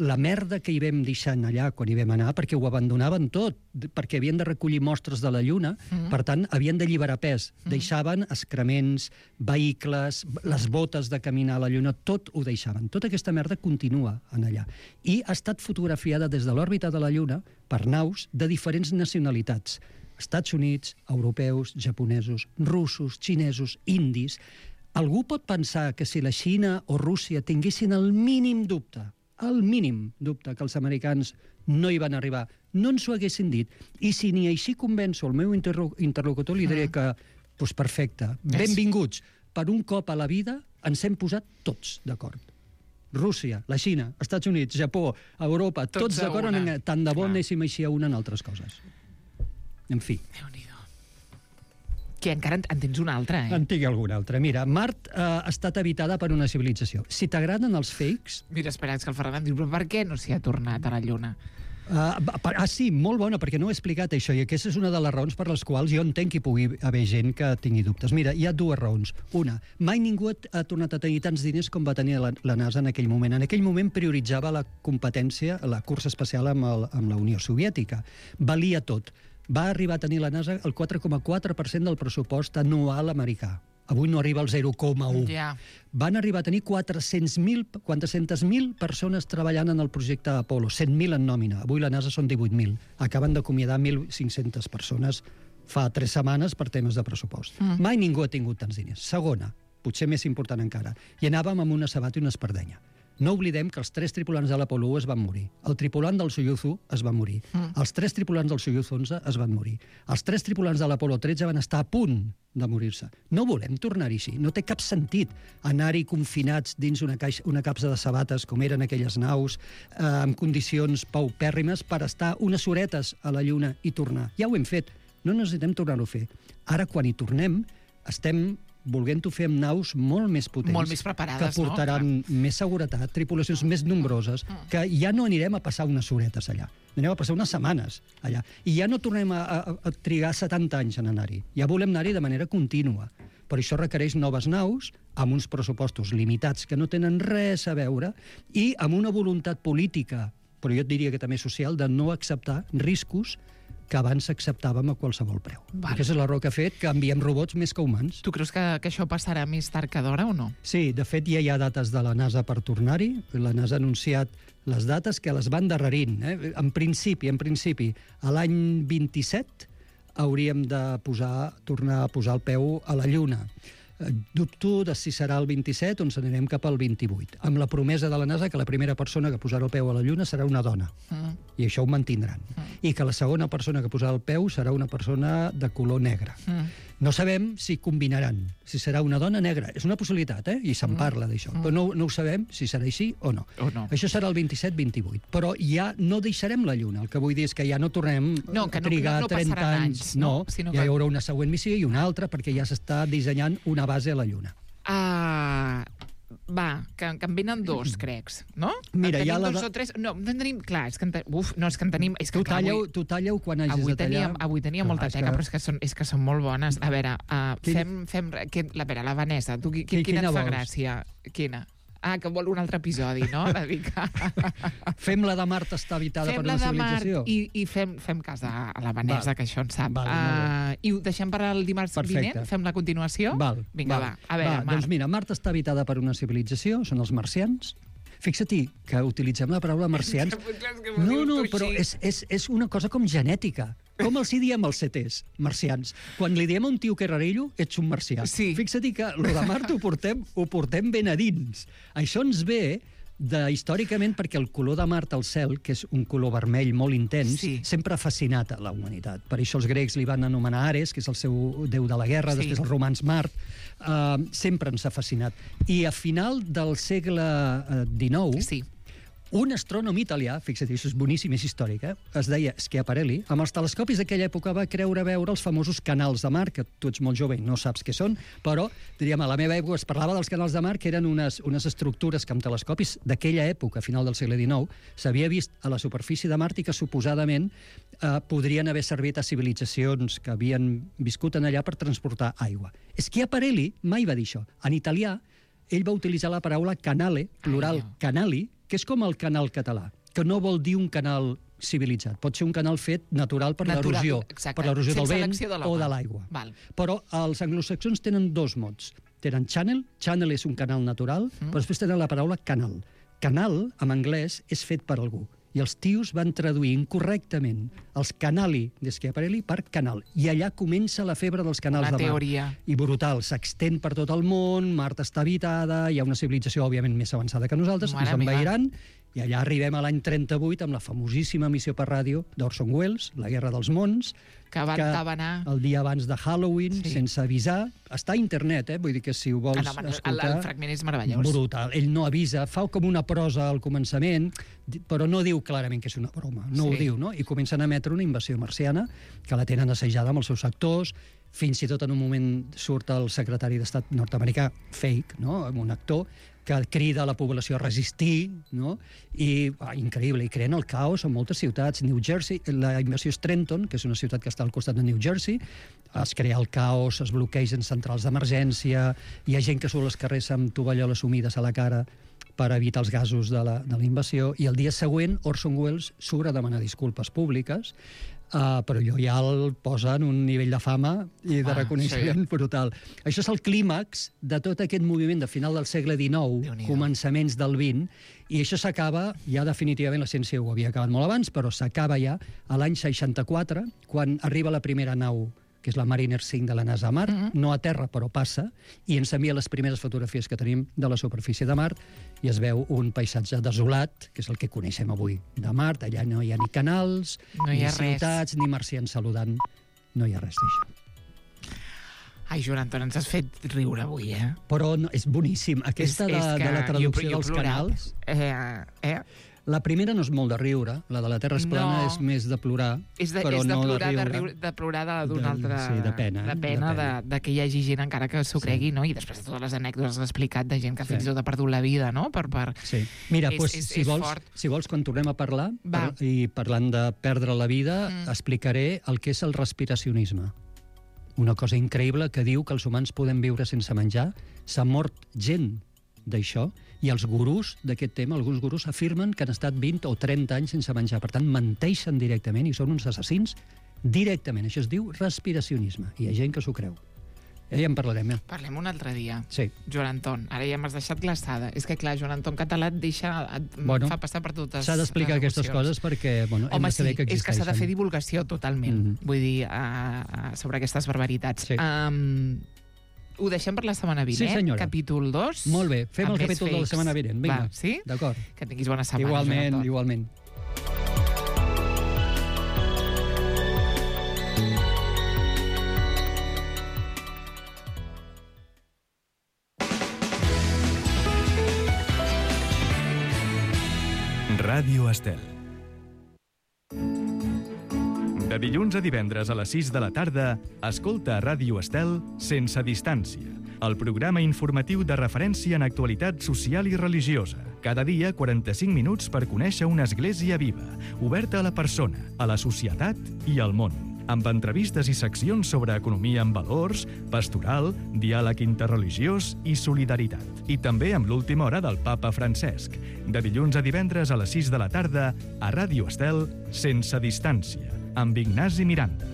la merda que hi vam deixant allà quan hi vam anar, perquè ho abandonaven tot, d- perquè havien de recollir mostres de la Lluna, mm. per tant, havien d'alliberar pes. Mm. Deixaven excrements, vehicles, b- les botes de caminar a la Lluna, tot ho deixaven. Tota aquesta merda continua en allà. I ha estat fotografiada des de l'òrbita de la Lluna per naus de diferents nacionalitats. Estats Units, europeus, japonesos, russos, xinesos, indis. Algú pot pensar que si la Xina o Rússia tinguessin el mínim dubte, el mínim dubte que els americans no hi van arribar, no ens ho haguessin dit. I si ni així convenço el meu interlo- interlocutor, li diré que, doncs perfecte, benvinguts. Per un cop a la vida ens hem posat tots d'acord. Rússia, la Xina, Estats Units, Japó, Europa, Tots tots a d'acord una. en tant de bo Clar. anéssim així a una en altres coses. En fi. Déu-n'hi-do. Que encara en, en tens una altra, eh? En tinc alguna altra. Mira, Mart eh, ha estat habitada per una civilització. Si t'agraden els fakes... Mira, espera, és que el Ferran diu, però per què no s'hi ha tornat a la Lluna? Uh, ah, sí, molt bona, perquè no he explicat això, i aquesta és una de les raons per les quals jo entenc que hi pugui haver gent que tingui dubtes. Mira, hi ha dues raons. Una, mai ningú ha, ha tornat a tenir tants diners com va tenir la, la NASA en aquell moment. En aquell moment prioritzava la competència, la cursa espacial amb, el, amb la Unió Soviètica. Valia tot. Va arribar a tenir la NASA el quatre coma quatre per cent del pressupost anual americà. Avui no arriba al zero coma u. Ja. Van arribar a tenir quatre-cents mil quatre-centes mil persones treballant en el projecte Apollo, cent mil en nòmina. Avui la NASA són divuit mil. Acaben d'acomiadar mil cinc-centes persones fa tres setmanes per temes de pressupost. Mm. Mai ningú ha tingut tants diners. Segona, potser més important encara, i anàvem amb una sabata i una espardenya. No oblidem que els tres tripulants de l'Apollo u es van morir. El tripulant del Soyuz u es va morir. Mm. Els tres tripulants del Soyuz onze es van morir. Els tres tripulants de l'Apollo tretze van estar a punt de morir-se. No volem tornar-hi així. No té cap sentit anar-hi confinats dins una, caixa, una capsa de sabates, com eren aquelles naus, eh, amb condicions paupèrrimes, per estar unes horetes a la Lluna i tornar. Ja ho hem fet. No necessitem tornar-ho a fer. Ara, quan hi tornem, estem volent-ho fer amb naus molt més potents, Molt més preparades, que portaran no? més seguretat, tripulacions més nombroses, que ja no anirem a passar unes horetes allà. Anem a passar unes setmanes allà. I ja no tornem a, a, a trigar setanta anys en anar-hi. Ja volem anar-hi de manera contínua. Per això requereix noves naus, amb uns pressupostos limitats que no tenen res a veure, i amb una voluntat política, però jo et diria que també social, de no acceptar riscos que abans acceptàvem a qualsevol preu. Val. Aquesta és l'error que ha fet, que enviem robots més que humans. Tu creus que, que això passarà més tard que d'hora o no? Sí, de fet ja hi ha dates de la NASA per tornar-hi. La NASA ha anunciat les dates que les van darrerint. Eh? En principi, en principi, a l'any vint-i-set hauríem de posar, tornar a posar el peu a la Lluna. Eh, Dubto de si serà el vint-i-set o ens anirem cap al vint-i-vuit, amb la promesa de la NASA que la primera persona que posarà el peu a la Lluna serà una dona. Mm. I això ho mantindran. I que la segona persona que posarà el peu serà una persona de color negre. Mm. No sabem si combinaran, si serà una dona negra. És una possibilitat, eh? I se'n parla d'això. Mm. Però no, no ho sabem si serà així o no. O no. Això serà el vint-i-set vint-i-vuit. Però ja no deixarem la Lluna. El que vull dir és que ja no tornem No, que a no- trigar no- no trenta passaran anys. anys, no? Sinó ja que- hi haurà una següent missió i una altra, perquè ja s'està dissenyant una base a la Lluna. Ah, va, que, que en venen dos, crec, no? Mira, en ja tenim la dos de- o tres... No, en tenim... Clar, és que en, te, uf, no, és que en tenim... És que, Tu clar, talla-ho avui, tu talla quan hagis avui de tallar. tenia, avui tenia Clar, molta és teca, que- però és que són, és que són molt bones. A veure, uh, Quin- fem... fem que, la, a veure, la Vanessa, tu, qui, Qui- quina quina et fa vols? gràcia? Quina? Ah, que vol un altre episodi, no? Una mica. Fem la de Mart està habitada Fem per la una de Mart civilització. i, i fem, fem cas a, a la Vanessa, Val. que això en sap. Val, molt uh, I ho deixem per al dimarts Perfecte. vinent? Fem la continuació? Val, Vinga, val. va. A veure, va, Mart. Doncs mira, Mart està habitada per una civilització, són els marcians. Fixa-t'hi que utilitzem la paraula marcians. No, no, però és, és, és una cosa com genètica. Com els hi diem als C Ts, marcians? Quan li diem a un tio que és rarillo, ets un marcià. Sí. Fixa't que lo de Mart ho portem, ho portem ben a dins. Això ens ve de, històricament perquè el color de Mart al cel, que és un color vermell molt intens, Sí. sempre ha fascinat a la humanitat. Per això els grecs li van anomenar Ares, que és el seu déu de la guerra, Sí. després els romans Mart. Uh, sempre ens ha fascinat. I a final del segle uh, dinou, Sí. un astrònom italià, fixa't, això és boníssim, és històric, eh? Es deia Schiaparelli, amb els telescopis d'aquella època va creure veure els famosos canals de mar, que tu ets molt jove i no saps què són, però, diríem, a la meva època es parlava dels canals de mar, que eren unes, unes estructures que amb telescopis d'aquella època, a final del segle dinou, s'havia vist a la superfície de Mart i que suposadament eh, podrien haver servit a civilitzacions que havien viscut en allà per transportar aigua. Schiaparelli mai va dir això. En italià, ell va utilitzar la paraula canale, plural Ai, no. canali, que és com el canal català, que no vol dir un canal civilitzat. Pot ser un canal fet natural per Natural, l'erosió, exacte. per l'erosió del Sense vent l'acció de l'home. o de l'aigua. Val. Però els anglosaxons tenen dos mots. Tenen channel, channel és un canal natural, Mm. però després tenen la paraula canal. Canal, en anglès, és fet per algú. I els tios van traduir incorrectament els canali de Schiaparelli per canal. I allà comença la febre dels canals Una de mar. teoria. I brutal, s'extén per tot el món, Mart està habitada, hi ha una civilització, òbviament, més avançada que nosaltres, Mare ens meva. envairan, i allà arribem a l'any trenta-vuit amb la famosíssima emissió per ràdio d'Orson Welles, La guerra dels mons, Que van tabanar. el dia abans de Halloween, Sí. sí. sense avisar. Està a internet, eh? Vull dir que si ho vols Ah, no, el, escoltar... el fragment és meravellós. Brutal. Ell no avisa, fa com una prosa al començament, di- però no diu clarament que és una broma. No Sí. ho diu, no? I comencen a emetre una invasió marciana que la tenen assajada amb els seus actors. Fins i tot en un moment surt el secretari d'Estat nord-americà, fake, no? Un actor, que crida a la població a resistir, no? I, ah, increïble, i creen el caos en moltes ciutats. New Jersey, la invasió és Trenton, que és una ciutat que està al costat de New Jersey, es crea el caos, es bloquegen centrals d'emergència, hi ha gent que surt als carrers amb tovalloles humides a la cara per evitar els gasos de la, de la invasió, i el dia següent Orson Welles surt a demanar disculpes públiques, Uh, però allò ja el posa en un nivell de fama i de Ah, reconeixement sí. brutal. Això és el clímax de tot aquest moviment de final del segle dinou, Déu-n'hi-do. començaments del vint, i això s'acaba, ja definitivament la ciència ho havia acabat molt abans, però s'acaba ja a l'any seixanta-quatre, quan arriba la primera nau, que és la Mariner cinc de la NASA a Mart, Mhm. no a terra, però passa, i ens envia les primeres fotografies que tenim de la superfície de Mart, i es veu un paisatge desolat, que és el que coneixem avui de Mart. Allà no hi ha ni canals, No hi ni ha res. ciutats, ni marcians saludant. No hi ha res d'això. Ai, Joan Anton, ens has fet riure avui, eh? Però no, és boníssim. Aquesta de, de la traducció jo, jo dels plorat. canals... Eh, eh? La primera no és molt de riure, la de la Terra és plana No. és més de plorar, És de, però és de no plorar, de de, riure. riure, de plorar de- d'un De- altre... sí, de pena, De de pena, de, pena. de que hi hagi gent encara que s'ho cregui, no? I després de totes les anècdotes que has explicat de gent que Sí. fins i tot ha perdut la vida, no? Per, per... Sí. Mira, És- doncs, és- si, és vols, fort. si vols, quan tornem a parlar, Va. per, i parlant de perdre la vida, Mm. mm. explicaré el que és el respiracionisme. Una cosa increïble que diu que els humans podem viure sense menjar. S'ha mort gent d'això, i els gurús d'aquest tema, alguns gurús afirmen que han estat vint o trenta anys sense menjar. Per tant, menteixen directament i són uns assassins directament. Això es diu respiracionisme, i hi ha gent que s'ho creu. Ja hi en parlarem, eh? Parlem un altre dia. Sí. Joan Anton, ara ja m'has deixat glaçada. És que, clar, Joan Anton català et deixa... Et Bueno, fa passar per totes S'ha d'explicar les aquestes emocions. coses perquè bueno, hem Home, de sí, saber que és que s'ha de existeixen. fer divulgació totalment, Mhm. vull dir, uh, uh, sobre aquestes barbaritats. Sí. Um, ho deixem per la setmana vinent, Sí, senyora. capítol dos. Molt bé, fem amb el més capítol de la fakes. setmana vinent. Vinga, Va, sí? d'acord. Que tinguis bona setmana, Joan Igualment, Anton. igualment. Ràdio Estel. De dilluns a divendres a les sis de la tarda, escolta a Ràdio Estel Sense Distància, el programa informatiu de referència en actualitat social i religiosa. Cada dia, quaranta-cinc minuts per conèixer una església viva, oberta a la persona, a la societat i al món, amb entrevistes i seccions sobre economia amb valors, pastoral, diàleg interreligiós i solidaritat. I també amb l'última hora del papa Francesc. De dilluns a divendres a les sis de la tarda, a Ràdio Estel, Sense Distància, amb Ignasi Miranda.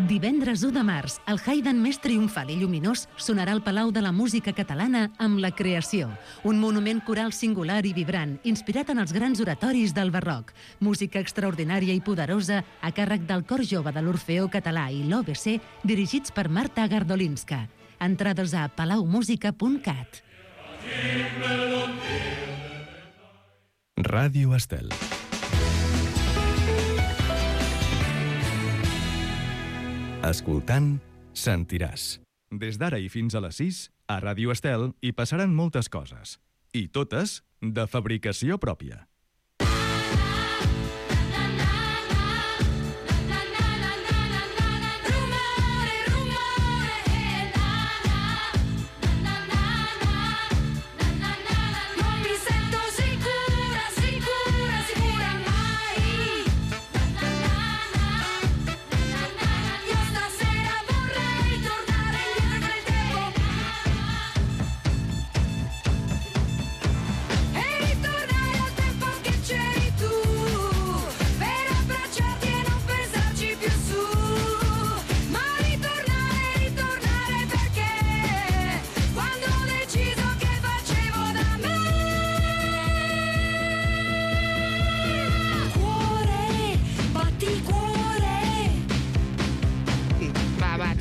Divendres u de març, el Haydn més triomfal i lluminós sonarà al Palau de la Música Catalana amb La Creació, un monument coral singular i vibrant, inspirat en els grans oratoris del barroc. Música extraordinària i poderosa a càrrec del Cor Jove de l'Orfeó Català i l'O B C, dirigits per Marta Gardolinska. Entrades a palaumusica punt cat. Ràdio Estel. Escoltant, sentiràs. Des d'ara i fins a les sis, a Ràdio Estel hi passaran moltes coses. I totes de fabricació pròpia.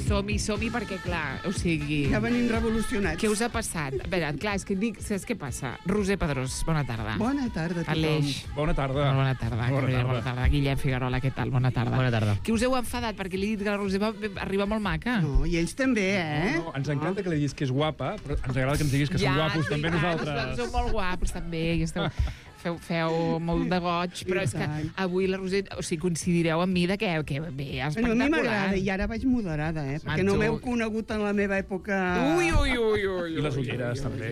Som-hi, som-hi, perquè, clar, o sigui... Ja venim revolucionats. Què us ha passat? A veure, clar, és que dic, saps què passa? Roser Pedrós, bona tarda. Bona tarda a tothom. Aleix. Bona tarda. Bona tarda. Bona Gabriel, tarda. bona tarda. Guillem Figuerola, què tal? Bona tarda. Bona tarda. Que us heu enfadat perquè li he dit que la Roser va arribar molt maca. No, i ells també, eh? No, ens encanta que li diguis que és guapa, però ens agrada que ens diguis que ja, som guapos també sí, nosaltres. Sou molt guapos també, i esteu... Feu, feu molt de goig, però és que avui la Roser, o sigui, coincidireu amb mi de que, que bé, Bueno, a espectacular. mi m'agrada, i ara vaig moderada, eh? Perquè Manto. no m'heu conegut en la meva època... Ui, ui, ui, ui. I les ulleres, també.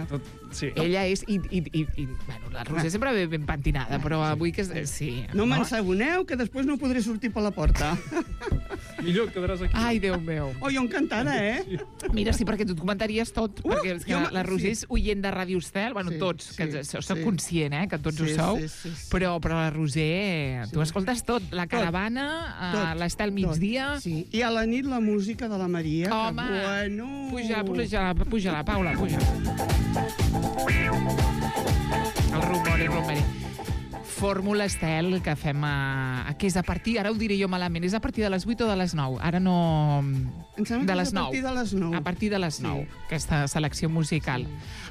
Tot, sí. Ella és... I, i, i, i, bueno, la Roser sempre ve ben pentinada, però avui que... és- Sí. No m'ensagoneu, que després no podré sortir per la porta. Millor et quedaràs aquí. Ai, Déu meu. Oh, jo encantada, eh? Mira, sí, perquè tu et comentaries tot, Uh, perquè és que jo la, me- la Roser sí. és oient de Ràdio Estel, bueno, Sí, tots, que sí, so- soc sí. conscient, eh, que tots Sí, ho sou, sí, sí, sí. Però, però la Roser, tu Sí. escoltes tot, la caravana, eh, Tot, l'Estel tot. migdia... Sí. I a la nit la música de la Maria. Home, que, bueno... puja, puja, puja la Paula, puja. El rumori, rumori. Fórmula Estel, que fem a, que és a partir, ara ho diré jo malament, és a partir de les vuit o de les nou? Ara no... Em sembla de que les és a partir de les nou. A partir de les Sí. nou, aquesta selecció musical.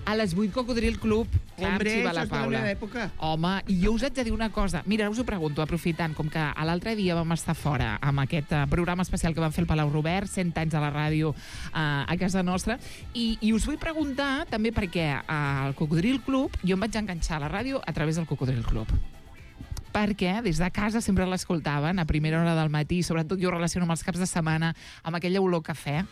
A les vuit, Cocodril Club, clar, Hombre, em xiva això la és de la Paula. meva època. Home, i jo us haig de dir una cosa. Mira, us ho pregunto, aprofitant, com que a l'altre dia vam estar fora amb aquest uh, programa especial que vam fer al Palau Robert, cent anys a la ràdio uh, a casa nostra, i, i us vull preguntar també perquè al Cocodril Club jo em vaig enganxar a la ràdio a través del Cocodril Club. Perquè des de casa sempre l'escoltaven a primera hora del matí, sobretot jo relaciono amb els caps de setmana, amb aquella olor cafè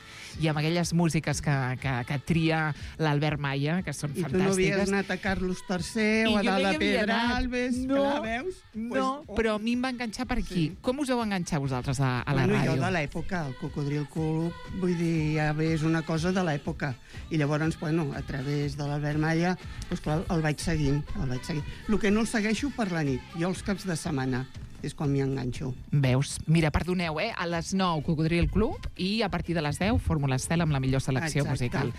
i amb aquelles músiques que, que, que tria l'Albert Maia, que són I tu no havies fantàstiques. anat a Carlos tercer I o a jo no hi Dalt de havia anat. Pedralbes, No, clar, veus? No, Pues, oh. però a mi em va enganxar per aquí. Sí. Com us heu enganxat vosaltres a, a la bueno, ràdio? jo de l'època, el Cocodril Club, vull dir, ja bé, és una cosa de l'època. I llavors, bueno, a través de l'Albert Maia, doncs clar, el vaig seguint, el vaig seguint. El que no el segueixo per la nit, jo els caps de setmana, és quan m'hi enganxo. Veus? Mira, perdoneu, eh? A les nou, Cocodril Club, i a partir de les deu, Fórmula Estel amb la millor selecció Exacte. musical.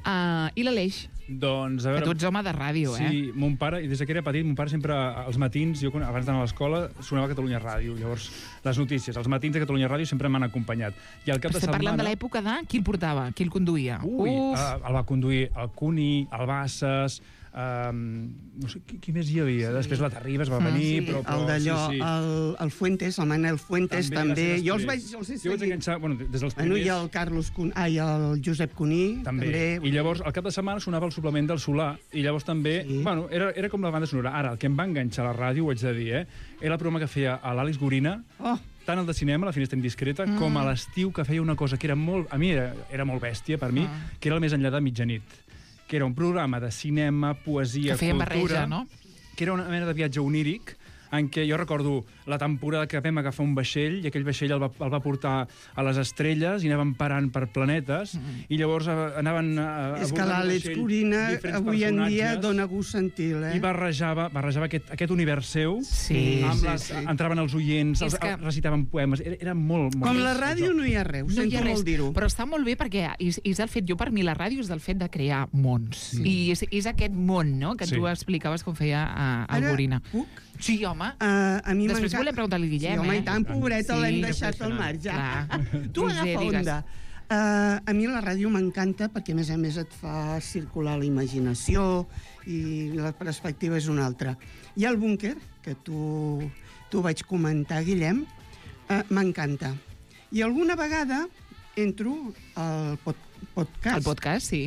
Uh, I l'Aleix? Doncs, a Que veure... tu ets home de ràdio, eh? Sí, mon pare, i des que era petit, mon pare sempre, als matins, jo quan- abans d'anar a l'escola, sonava Catalunya Ràdio. Llavors, les notícies, els matins de Catalunya Ràdio sempre m'han acompanyat. I al cap Però de estem setmana... parlant de l'època de qui el portava, qui el conduïa. Ui, Uf. uh, el va conduir el Cuní, el Bassas, Um, no sé qui, qui més hi havia. Sí. Després la Terribas va venir, Sí, però, però... el d'allò, sí, sí. el, el Fuentes, el Manel Fuentes, també. va ser Jo els després. vaig, els he Jo vaig seguit. enganxar, bueno, des dels Bueno, primers... i el Carlos Cun... Ai, el Josep Cuní, També. també. I llavors, al cap de setmana sonava el suplement del Solà, i llavors també... Sí. Bueno, era, era com la banda sonora. Ara, el que em va enganxar a la ràdio, ho haig de dir, eh? Era el programa que feia a l'Àlex Gorina, Oh, tant el de cinema, La finestra indiscreta, mm. com a l'estiu, que feia una cosa que era molt... A mi era, era molt bèstia, per mi, Ah. que era el Més enllà de mitjanit, que era un programa de cinema, poesia, Que feien cultura... barreja, no? Que era una mena de viatge oníric, en què jo recordo la temporada que vam agafar un vaixell i aquell vaixell el va, el va portar a les estrelles i anaven parant per planetes mm. i llavors eh, anaven a, a és que abordant el l'Àlex vaixell Corina diferents avui en dia personatges dona gust sentir, eh? i barrejava, barrejava aquest, aquest univers seu Sí, amb sí, les, sí. entraven els oients, És els, que- recitaven poemes, era, era molt, molt... Com la ràdio no hi ha res, ho No hi sento ha res, molt dir-ho. però està molt bé perquè és, és el fet, jo per mi la ràdio és del fet de crear mons. Sí. I és, és aquest món, no?, que Sí. tu explicaves com feia a, a Ara, Gorina. puc? Sí, home. Uh, a mi Després m'encanta- volem preguntar-li a Guillem, sí, home, eh? i tant, pobreta, Sí, l'hem deixat al impressionant. marge. Clar. Tu Roser, agafa digues. onda. Uh, a mi la ràdio m'encanta perquè, a més a més, et fa circular la imaginació i la perspectiva és una altra. Hi ha el búnquer, que tu, tu vaig comentar, Guillem, uh, m'encanta. I alguna vegada entro al pod podcast. El podcast, sí.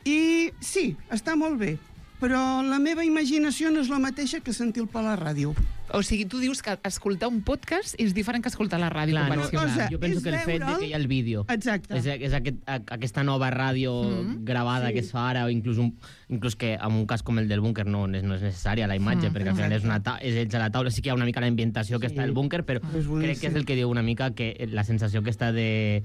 I sí, està molt bé, però la meva imaginació no és la mateixa que sentir-lo per la ràdio. O sigui, tu dius que escoltar un podcast és diferent que escoltar la ràdio Clar, no, convencional. cosa- jo penso és que el fet de veure'l- que hi ha el vídeo Exacte. és, és aquest, a- aquesta nova ràdio Mm. gravada Sí. que es fa ara, o inclús, un, inclús que en un cas com el del búnquer no, és- no és necessària la imatge, Mm, perquè al final és, una ta és ells a la taula, sí que hi ha una mica la ambientació que Sí. està al búnquer, però És boníssim. crec que és el que diu una mica que la sensació que està de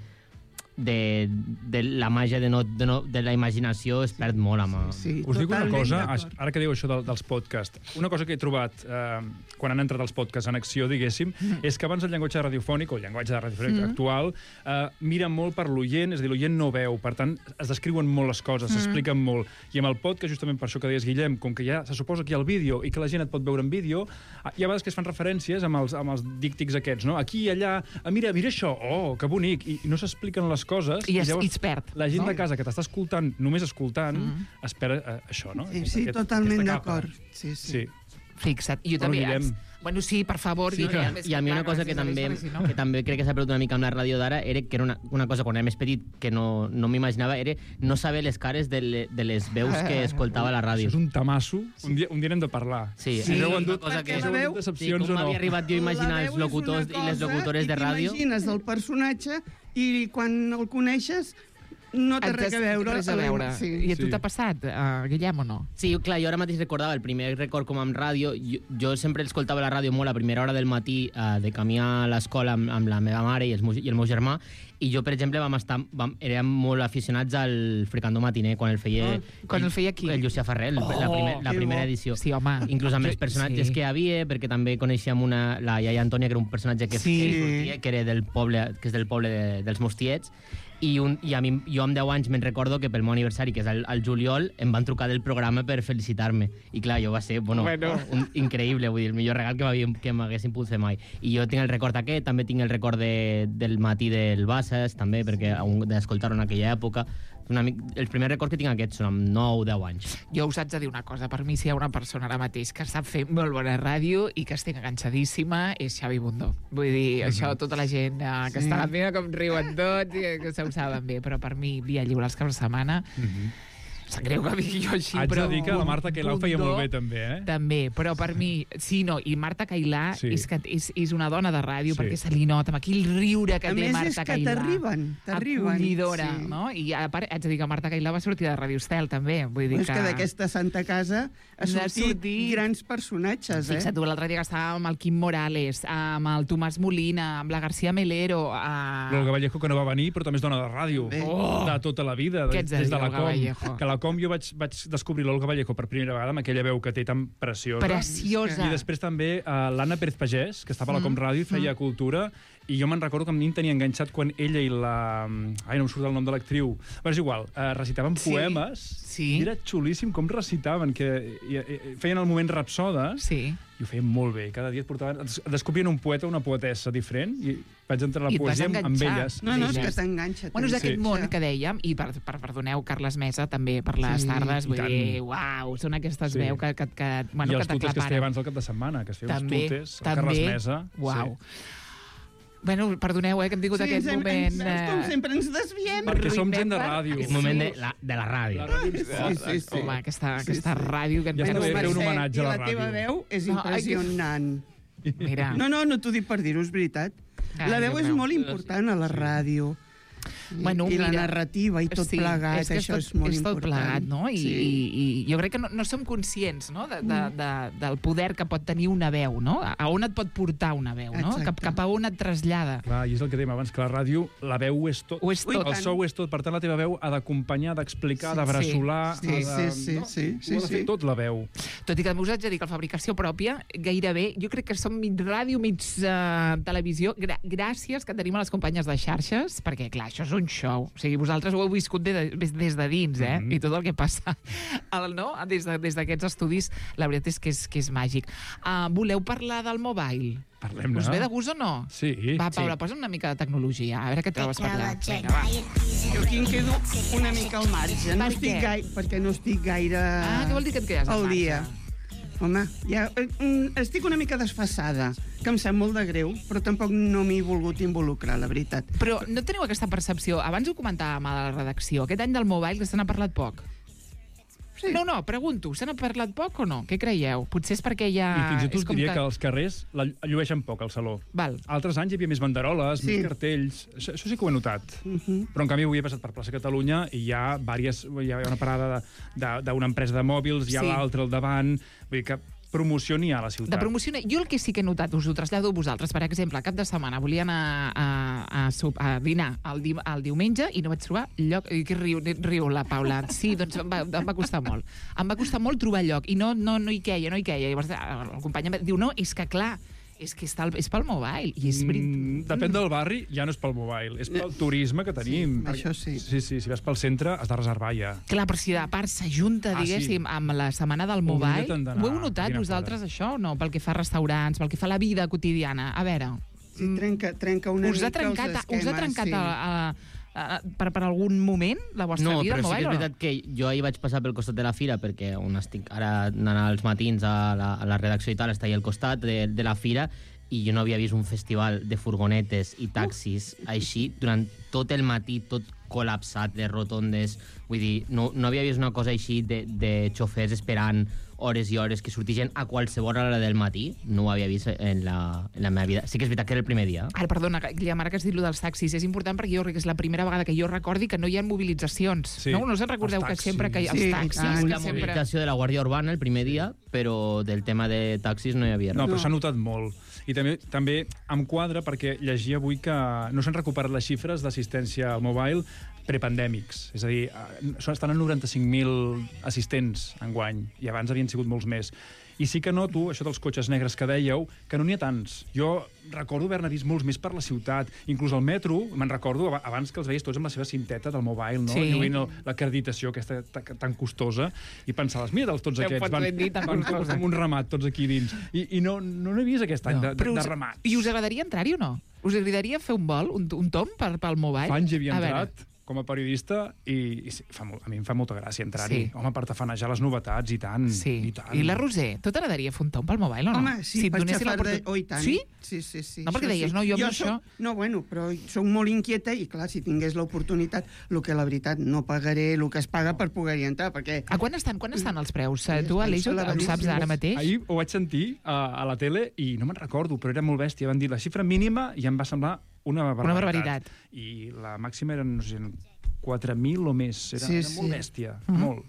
de, de la màgia de, no, de, no, de la imaginació es perd molt amb... Sí, Us dic una totalment cosa, d'acord. ara que diu això del, dels podcasts, una cosa que he trobat eh, quan han entrat els podcasts en acció, diguéssim, mm. és que abans el llenguatge radiofònic, o el llenguatge de radiofònic mm. actual, eh, mira molt per l'oient, és a dir, l'oient no veu, per tant, es descriuen molt les coses, mm. s'expliquen molt. I amb el podcast, justament per això que deies, Guillem, com que ja se suposa que hi ha el vídeo i que la gent et pot veure en vídeo, hi ha vegades que es fan referències amb els, amb els díctics aquests, no? Aquí i allà, ah, mira, mira això, oh, que bonic, i, i no s'expliquen les coses. I es, llavors, i es perd. la gent no? de casa que t'està escoltant, només escoltant, mm. espera eh, això, no? Sí, sí, Aquest- totalment aquesta capa. d'acord. Sí, sí. Sí. Fixa't. I jo Bueno, també... Guillem. Bueno, sí, per favor. Sí, Guillem, que- és I a mi una clar, cosa que gràcies a també, l'Isabel, si no. que també crec que s'ha perdut una mica amb la ràdio d'ara era que era una, una cosa, quan era més petit, que no, no m'imaginava, era no saber les cares de, le, de les veus que escoltava a la Això ràdio. és un tamasso. Un dia, un dia n'hem de parlar. Sí, Si sí, no heu una endut, cosa que- si heu la endut veu- Sí, decepcions com o no. m'havia arribat jo a imaginar La els veu és locutors una i les cosa locutores de ràdio. I t'imagines el personatge i quan el coneixes no té Et res a des- veure. Res a veure. Sí. I a tu Sí. t'ha passat, uh, Guillem, o no? Sí, clar, jo ara mateix recordava el primer record com amb ràdio. Jo, jo sempre escoltava la ràdio molt a primera hora del matí eh, de camí a l'escola amb, amb la meva mare i, els meus, i el meu germà, i jo, per exemple, vam estar, vam, érem molt aficionats al Fricandó Matiner, quan el feia... Ah, quan el feia qui? El Llucià Ferrer, Oh, la, primer, la que primera bo. edició. Sí, home. Inclús amb Jo- els personatges sí. que hi havia, perquè també coneixíem una, la iaia Antònia, que era un personatge que, Sí. que sortia, que era del poble, que és del poble de, dels meus tiets, i, un, i a mi, jo amb deu anys me'n recordo que pel meu aniversari, que és el, el juliol, em van trucar del programa per felicitar-me. I clar, jo va ser, bueno, Bueno. Un, increïble, vull dir, el millor regal que m'havien- que m'haguessin pogut fer mai. I jo tinc el record aquest, també tinc el record de, del matí del Bassas, també, perquè sí. d'escoltar-ho en aquella època. Una, mic- els primers records que tinc aquests són amb nou o deu anys. Jo us haig de dir una cosa, per mi si hi ha una persona ara mateix que sap fer molt bona ràdio i que estic enganxadíssima és Xavi Bundó. Vull dir, això tota la gent eh, que Sí. està a la meva, com riuen tots i que se ho saben bé, però per mi via lliure els caps de setmana sap greu que digui jo així, Haig però... de dir que la Marta Cailà ho feia Bundó molt bé, també, eh? També, però per mi... Sí, no, i Marta Cailà Sí. és, que és, és una dona de ràdio, Sí. perquè se li nota amb aquell riure que A té més, Marta és que Cailà. t'arriben, t'arriben, Acollidora, sí. no? I a part, haig de dir que Marta Cailà va sortir de Radio Estel, també. Vull dir És que d'aquesta Santa Casa ha N'ha sortit, sortit- grans personatges, eh? Fixa't tu, l'altre dia que estava amb el Quim Morales, amb el Tomàs Molina, amb la García Melero... A... L'Olga Vallejo, que no va venir, però també és dona de ràdio. Bé. Oh! De tota la vida, Què de, ets de des dir, de la Olga Com. Vallejo? Que a la Com jo vaig, vaig descobrir l'Olga Vallejo per primera vegada amb aquella veu que té tan preciosa. Preciosa. I després també uh, l'Anna Pérez Pagès, que estava a la Com Ràdio i feia cultura, I jo me'n recordo que a mi em tenia enganxat quan ella i la... Ai, no em surt el nom de l'actriu. Però és igual, eh, recitaven Sí. poemes. Sí. I era xulíssim com recitaven, que i, i, feien el moment rapsoda. Sí. I ho feien molt bé. Cada dia et portaven... es descobrien un poeta o una poetessa diferent i vaig entrar a la I et vas poesia amb, amb enganxar. elles. No, no, és Sí. que t'enganxa. Bueno, és aquest Sí. món que dèiem, i per, per, perdoneu, Carles Mesa, també per les Sí, tardes, i vull tant. dir, uau, són aquestes Sí. veus que, que, que, bueno, I que els tutes que es feia t'aclaparen. abans del cap de setmana, que es feia També, uns tutes, el també. Carles Mesa. Uau. Sí. Bueno, perdoneu, eh, que hem tingut Sí, aquest ens hem- moment... ens- com eh, sempre ens desviem. Perquè som gent de Remember? ràdio. És moment de la, de la ràdio. La ràdio ens Sí, porta. sí, sí. Home, aquesta, Sí, aquesta sí. ràdio que ens Ja està hem bé fer un Mercè, homenatge a la i la teva ràdio. veu és No, ai, que- impressionant. Mira. No, no, no t'ho dic per dir-ho, és veritat. Ai, La veu Déu és meu. molt important a la ràdio. Bueno, I la mira, narrativa i tot sí, plegat, és que això és, és tot, molt és tot important. plegat, no? I, Sí. i, i jo crec que no, no som conscients, no?, de, de, de, del poder que pot tenir una veu, no? A on et pot portar una veu, no? Exacte. Cap, cap a on et trasllada. Clar, i és el que dèiem abans, que la ràdio, la veu ho és tot. Ho és Ui, tot. El tant. so ho és tot. Per tant, la teva veu ha d'acompanyar, d'explicar, Sí, de bressolar... sí. ha de- Sí, sí, no? sí, sí, Ho ha de fer sí. tot, la veu. Tot i que us haig de dir que la fabricació pròpia, gairebé, jo crec que som mig ràdio, mig uh, televisió. Gra gràcies que tenim a les companyes de xarxes, perquè, clar, això és un show. O sigui, vosaltres ho heu viscut de, des, des de dins, eh? Mhm. I tot el que passa el, no? des de- des d'aquests estudis, la veritat és que és, que és màgic. Uh, voleu parlar del mobile? Parlem-ne. Us ve de gust o no? Sí. Va, Paula, Sí. posa una mica de tecnologia, a veure què trobes per allà. Vinga, va. Jo aquí em quedo una mica al marge. No Per estic què? gaire, perquè no estic gaire Ah, què vol dir que et quedes al al marge? dia. Home, ja, eh, mm, estic una mica desfassada, que em sap molt de greu, però tampoc no m'hi he volgut involucrar, la veritat. Però no teniu aquesta percepció? Abans ho comentàvem a la redacció, aquest any del mobile que se n'ha parlat poc. Sí. No, no, pregunto, se n'ha parlat poc o no? Què creieu? Potser és perquè ja... I fins i tot és us com diria que... als carrers la llueixen poc, al saló. Val. Altres anys hi havia més banderoles, Sí. més cartells... Això, això sí que ho he notat. Mhm. Però, en canvi, avui he passat per plaça Catalunya i hi ha, diverses, hi ha una parada d'una empresa de mòbils, hi ha Sí. l'altra al davant... Vull dir que promoció n'hi ha a la ciutat. De promoció, jo el que sí que he notat, us ho trasllado a vosaltres, per exemple, cap de setmana volia anar a, a, a, a dinar el, di, el diumenge i no vaig trobar lloc... I que riu, riu la Paula. Sí, doncs em va, em va costar molt. Em va costar molt trobar lloc i no, no, no hi queia, no hi queia. Llavors el company em va- diu, no, és que clar, és que està, al- és pel mobile. I és veritat. Mm, depèn del barri, ja no és pel mobile, és pel turisme que tenim. Sí, això sí. Sí, sí, si vas pel centre has de reservar ja. Clar, però si de part s'ajunta, Ah, diguéssim, sí. amb la setmana del mobile, Oblida't d'anar ho heu a notat dinar vosaltres, fora. això, o no? Pel que fa a restaurants, pel que fa a la vida quotidiana. A veure, Sí, trenca, trenca una us ha mica trencat, els esquemes, us ha trencat sí. a, a, a, per, per algun moment la vostra No, vida, però el sí que mobile, és o no? veritat que jo ahir vaig passar pel costat de la fira perquè on estic ara anant als matins a la, a la redacció i tal, està ahí al costat de, de la fira i jo no havia vist un festival de furgonetes i taxis així durant tot el matí, tot col·lapsat de rotondes. Vull dir, no, no havia vist una cosa així de, de xofers esperant hores i hores que sortixen a qualsevol hora del matí. No ho havia vist en la, en la meva vida. Sí que és veritat que era el primer dia. Ara, perdona, Guillem, ara que has dit lo dels taxis, és important perquè jo crec que és la primera vegada que jo recordi que no hi ha mobilitzacions. Sí, No, no us en recordeu els que taxis. sempre que hi ha Sí, els i taxis... tant. que La sempre... mobilització de la Guàrdia Urbana el primer dia, però del tema de taxis no hi havia res. No, però No. s'ha notat molt. I també també em quadra perquè llegia avui que no s'han recuperat les xifres d'assistència al mobile prepandèmics. És a dir, eh, són- estan en noranta-cinc mil assistents enguany, i abans havien sigut molts més. I sí que noto, això dels cotxes negres que dèieu, que no n'hi ha tants. Jo recordo haver-ne vist molts més per la ciutat. Inclús al metro, me'n recordo ab- abans que els veies tots amb la seva cinteta del mobile, no? Sí. Lluint el- l'acreditació aquesta ta- tan costosa, i pensaves, mira, tots Ja ho aquests pots van, ben dir, tan van costosa. amb un ramat tots aquí dins. I, i no, no n'he vist aquest any No. de, de, Però de us, ramats. I us agradaria entrar-hi o no? Us agradaria fer un vol, un, un tom per, pel mobile? Fa anys hi havia A veure. entrat com a periodista i, i sí, fa, molt- a mi em fa molta gràcia entrar-hi. Sí. Home, per tafanejar les novetats, i tant. Sí. I, tant. I la Roser, tu t'agradaria fer un tom pel mobile o no? Home, sí, si et per donessin xafar de... l'oportunitat- Oh, i tant. Sí? Sí, sí, sí. No, perquè això deies, sí. no, jo amb això- Soc, no, bueno, però soc molt inquieta i, clar, si tingués l'oportunitat, el que la veritat no pagaré, el que es paga per poder-hi entrar, perquè... A quan estan, quan estan els preus? Eh, Sí, Tu, estan Aleix, ho ho saps elevadíssims. ara mateix? Ahir ho vaig sentir a, a la tele i no me'n recordo, però era molt bèstia. Van dir la xifra mínima i em va semblar una barbaritat. barbaritat. I la màxima eren, no sé, quatre mil o més. Era, Sí, era molt sí. bèstia, Mhm. molt.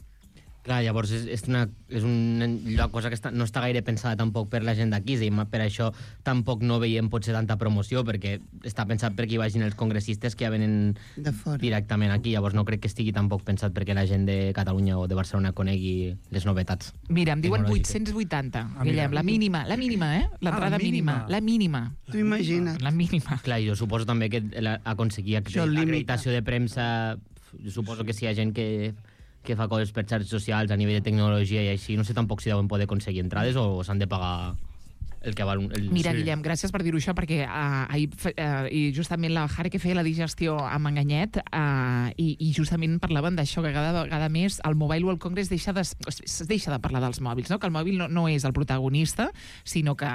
Clar, llavors és, és, una, és una lloc, cosa que està, no està gaire pensada tampoc per la gent d'aquí, i per això tampoc no veiem potser tanta promoció, perquè està pensat perquè hi vagin els congressistes que ja venen De fora. directament aquí, llavors no crec que estigui tampoc pensat perquè la gent de Catalunya o de Barcelona conegui les novetats. Mira, em diuen tecnològiques. vuit-cents vuitanta, Ah, mira. Guillem, la mínima, la mínima, eh? L'entrada Ah, la mínima. mínima. La mínima. Tu imagina't. La mínima. Clar, jo suposo també que la- aconseguir Això limita. l'acreditació de premsa, jo suposo que si hi ha gent que que fa coses per xarxes socials a nivell de tecnologia i així, no sé tampoc si deuen poder aconseguir entrades o s'han de pagar el que val... un- El... Mira, Sí. Guillem, gràcies per dir-ho això, perquè uh, ahir, uh, i justament la Jare que feia la digestió amb Enganyet, uh, i, i justament parlaven d'això, que cada vegada més el Mobile World Congress deixa de, es deixa de parlar dels mòbils, no? Que el mòbil no, no és el protagonista, sinó que,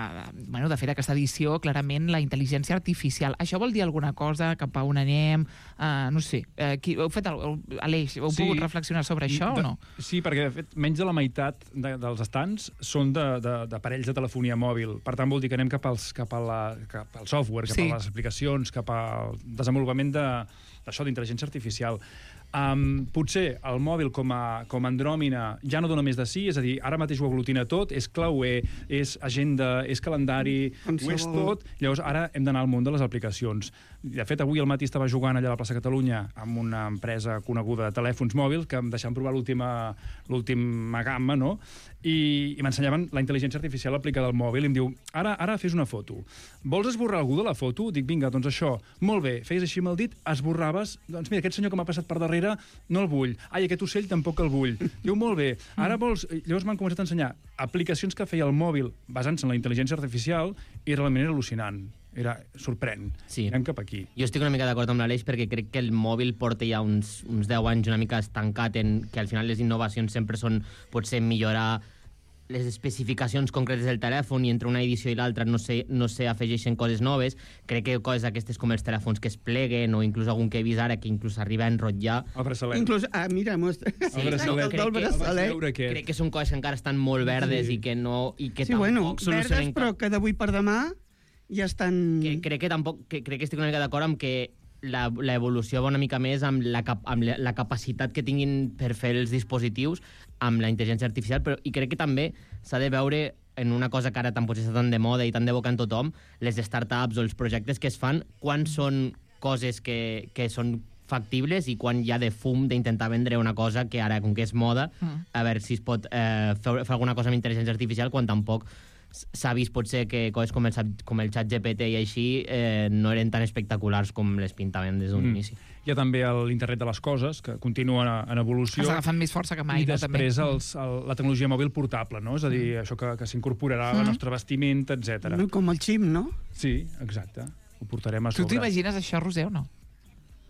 bueno, de fet, aquesta edició, clarament, la intel·ligència artificial. Això vol dir alguna cosa? Cap a on anem? Uh, no sé. Uh, qui, heu fet el, Aleix, heu Sí. pogut reflexionar sobre això de, o no? Sí, perquè de fet, menys de la meitat de, dels estants són de- de- d'aparells de, de telefonia mòbil. Per tant, vol dir que anem cap, als, cap, a la, cap al software, cap Sí. a les aplicacions, cap al desenvolupament de- d'això, d'intel·ligència artificial. Um, potser el mòbil com a, com a andròmina ja no dona més de sí, és a dir, ara mateix ho aglutina tot, és clauer, és agenda, és calendari, ho és Qualsevol. tot. Llavors, ara hem d'anar al món de les aplicacions. De fet, avui al matí estava jugant allà a la plaça Catalunya amb una empresa coneguda de telèfons mòbils que em deixaven provar l'última l'última gamma, no? I, i m'ensenyaven la intel·ligència artificial aplicada al mòbil i em diu, ara ara fes una foto. Vols esborrar algú de la foto? Dic, vinga, doncs això. Molt bé, feies així amb el dit, esborraves, doncs mira, aquest senyor que m'ha passat per darrere no el vull. Ai, aquest ocell tampoc el vull. Diu, molt bé, ara vols... Llavors m'han començat a ensenyar aplicacions que feia el mòbil basant-se en la intel·ligència artificial i realment era al·lucinant. Era sorprèn. Sí. Anem cap aquí. Jo estic una mica d'acord amb l'Aleix perquè crec que el mòbil porta ja uns, uns deu anys una mica estancat en que al final les innovacions sempre són potser millorar les especificacions concretes del telèfon i entre una edició i l'altra no se, no se afegeixen coses noves. Crec que coses aquestes com els telèfons que es pleguen o inclús algun que he vist ara que inclús arriba a enrotllar. El braçalet. Inclús, ah, mira, mostra. El braçalet. El crec del que- braçalet. veure aquest. Crec que són coses que encara estan molt verdes Sí. i que no i que Sí, tampoc bueno, verdes, solucionen però cap- que d'avui per demà ja estan... que crec que tampoc que, crec que estic una mica d'acord amb que la- l'evolució va una mica més amb, la, cap, amb la, la capacitat que tinguin per fer els dispositius amb la intel·ligència artificial, però i crec que també s'ha de veure en una cosa que ara tan potser està tan de moda i tan de boca en tothom, les startups o els projectes que es fan, quan són coses que, que són factibles i quan hi ha de fum d'intentar vendre una cosa que ara, com que és moda, Mm. a veure si es pot eh, fer, fer alguna cosa amb intel·ligència artificial quan tampoc s'ha vist potser que coses com el, com el xat G P T i així eh, no eren tan espectaculars com les pintaven des d'un Mm. inici. Hi ha també l'internet de les coses, que continua en, en evolució. Està agafant més força que mai, I no, també. després els, el, la tecnologia mòbil portable, no? És a dir, això que, que s'incorporarà Mm. al nostre vestimenta, etcètera. No, com el xip, no? Sí, exacte. Ho portarem a Tu sobre. t'imagines això, Roser, o no?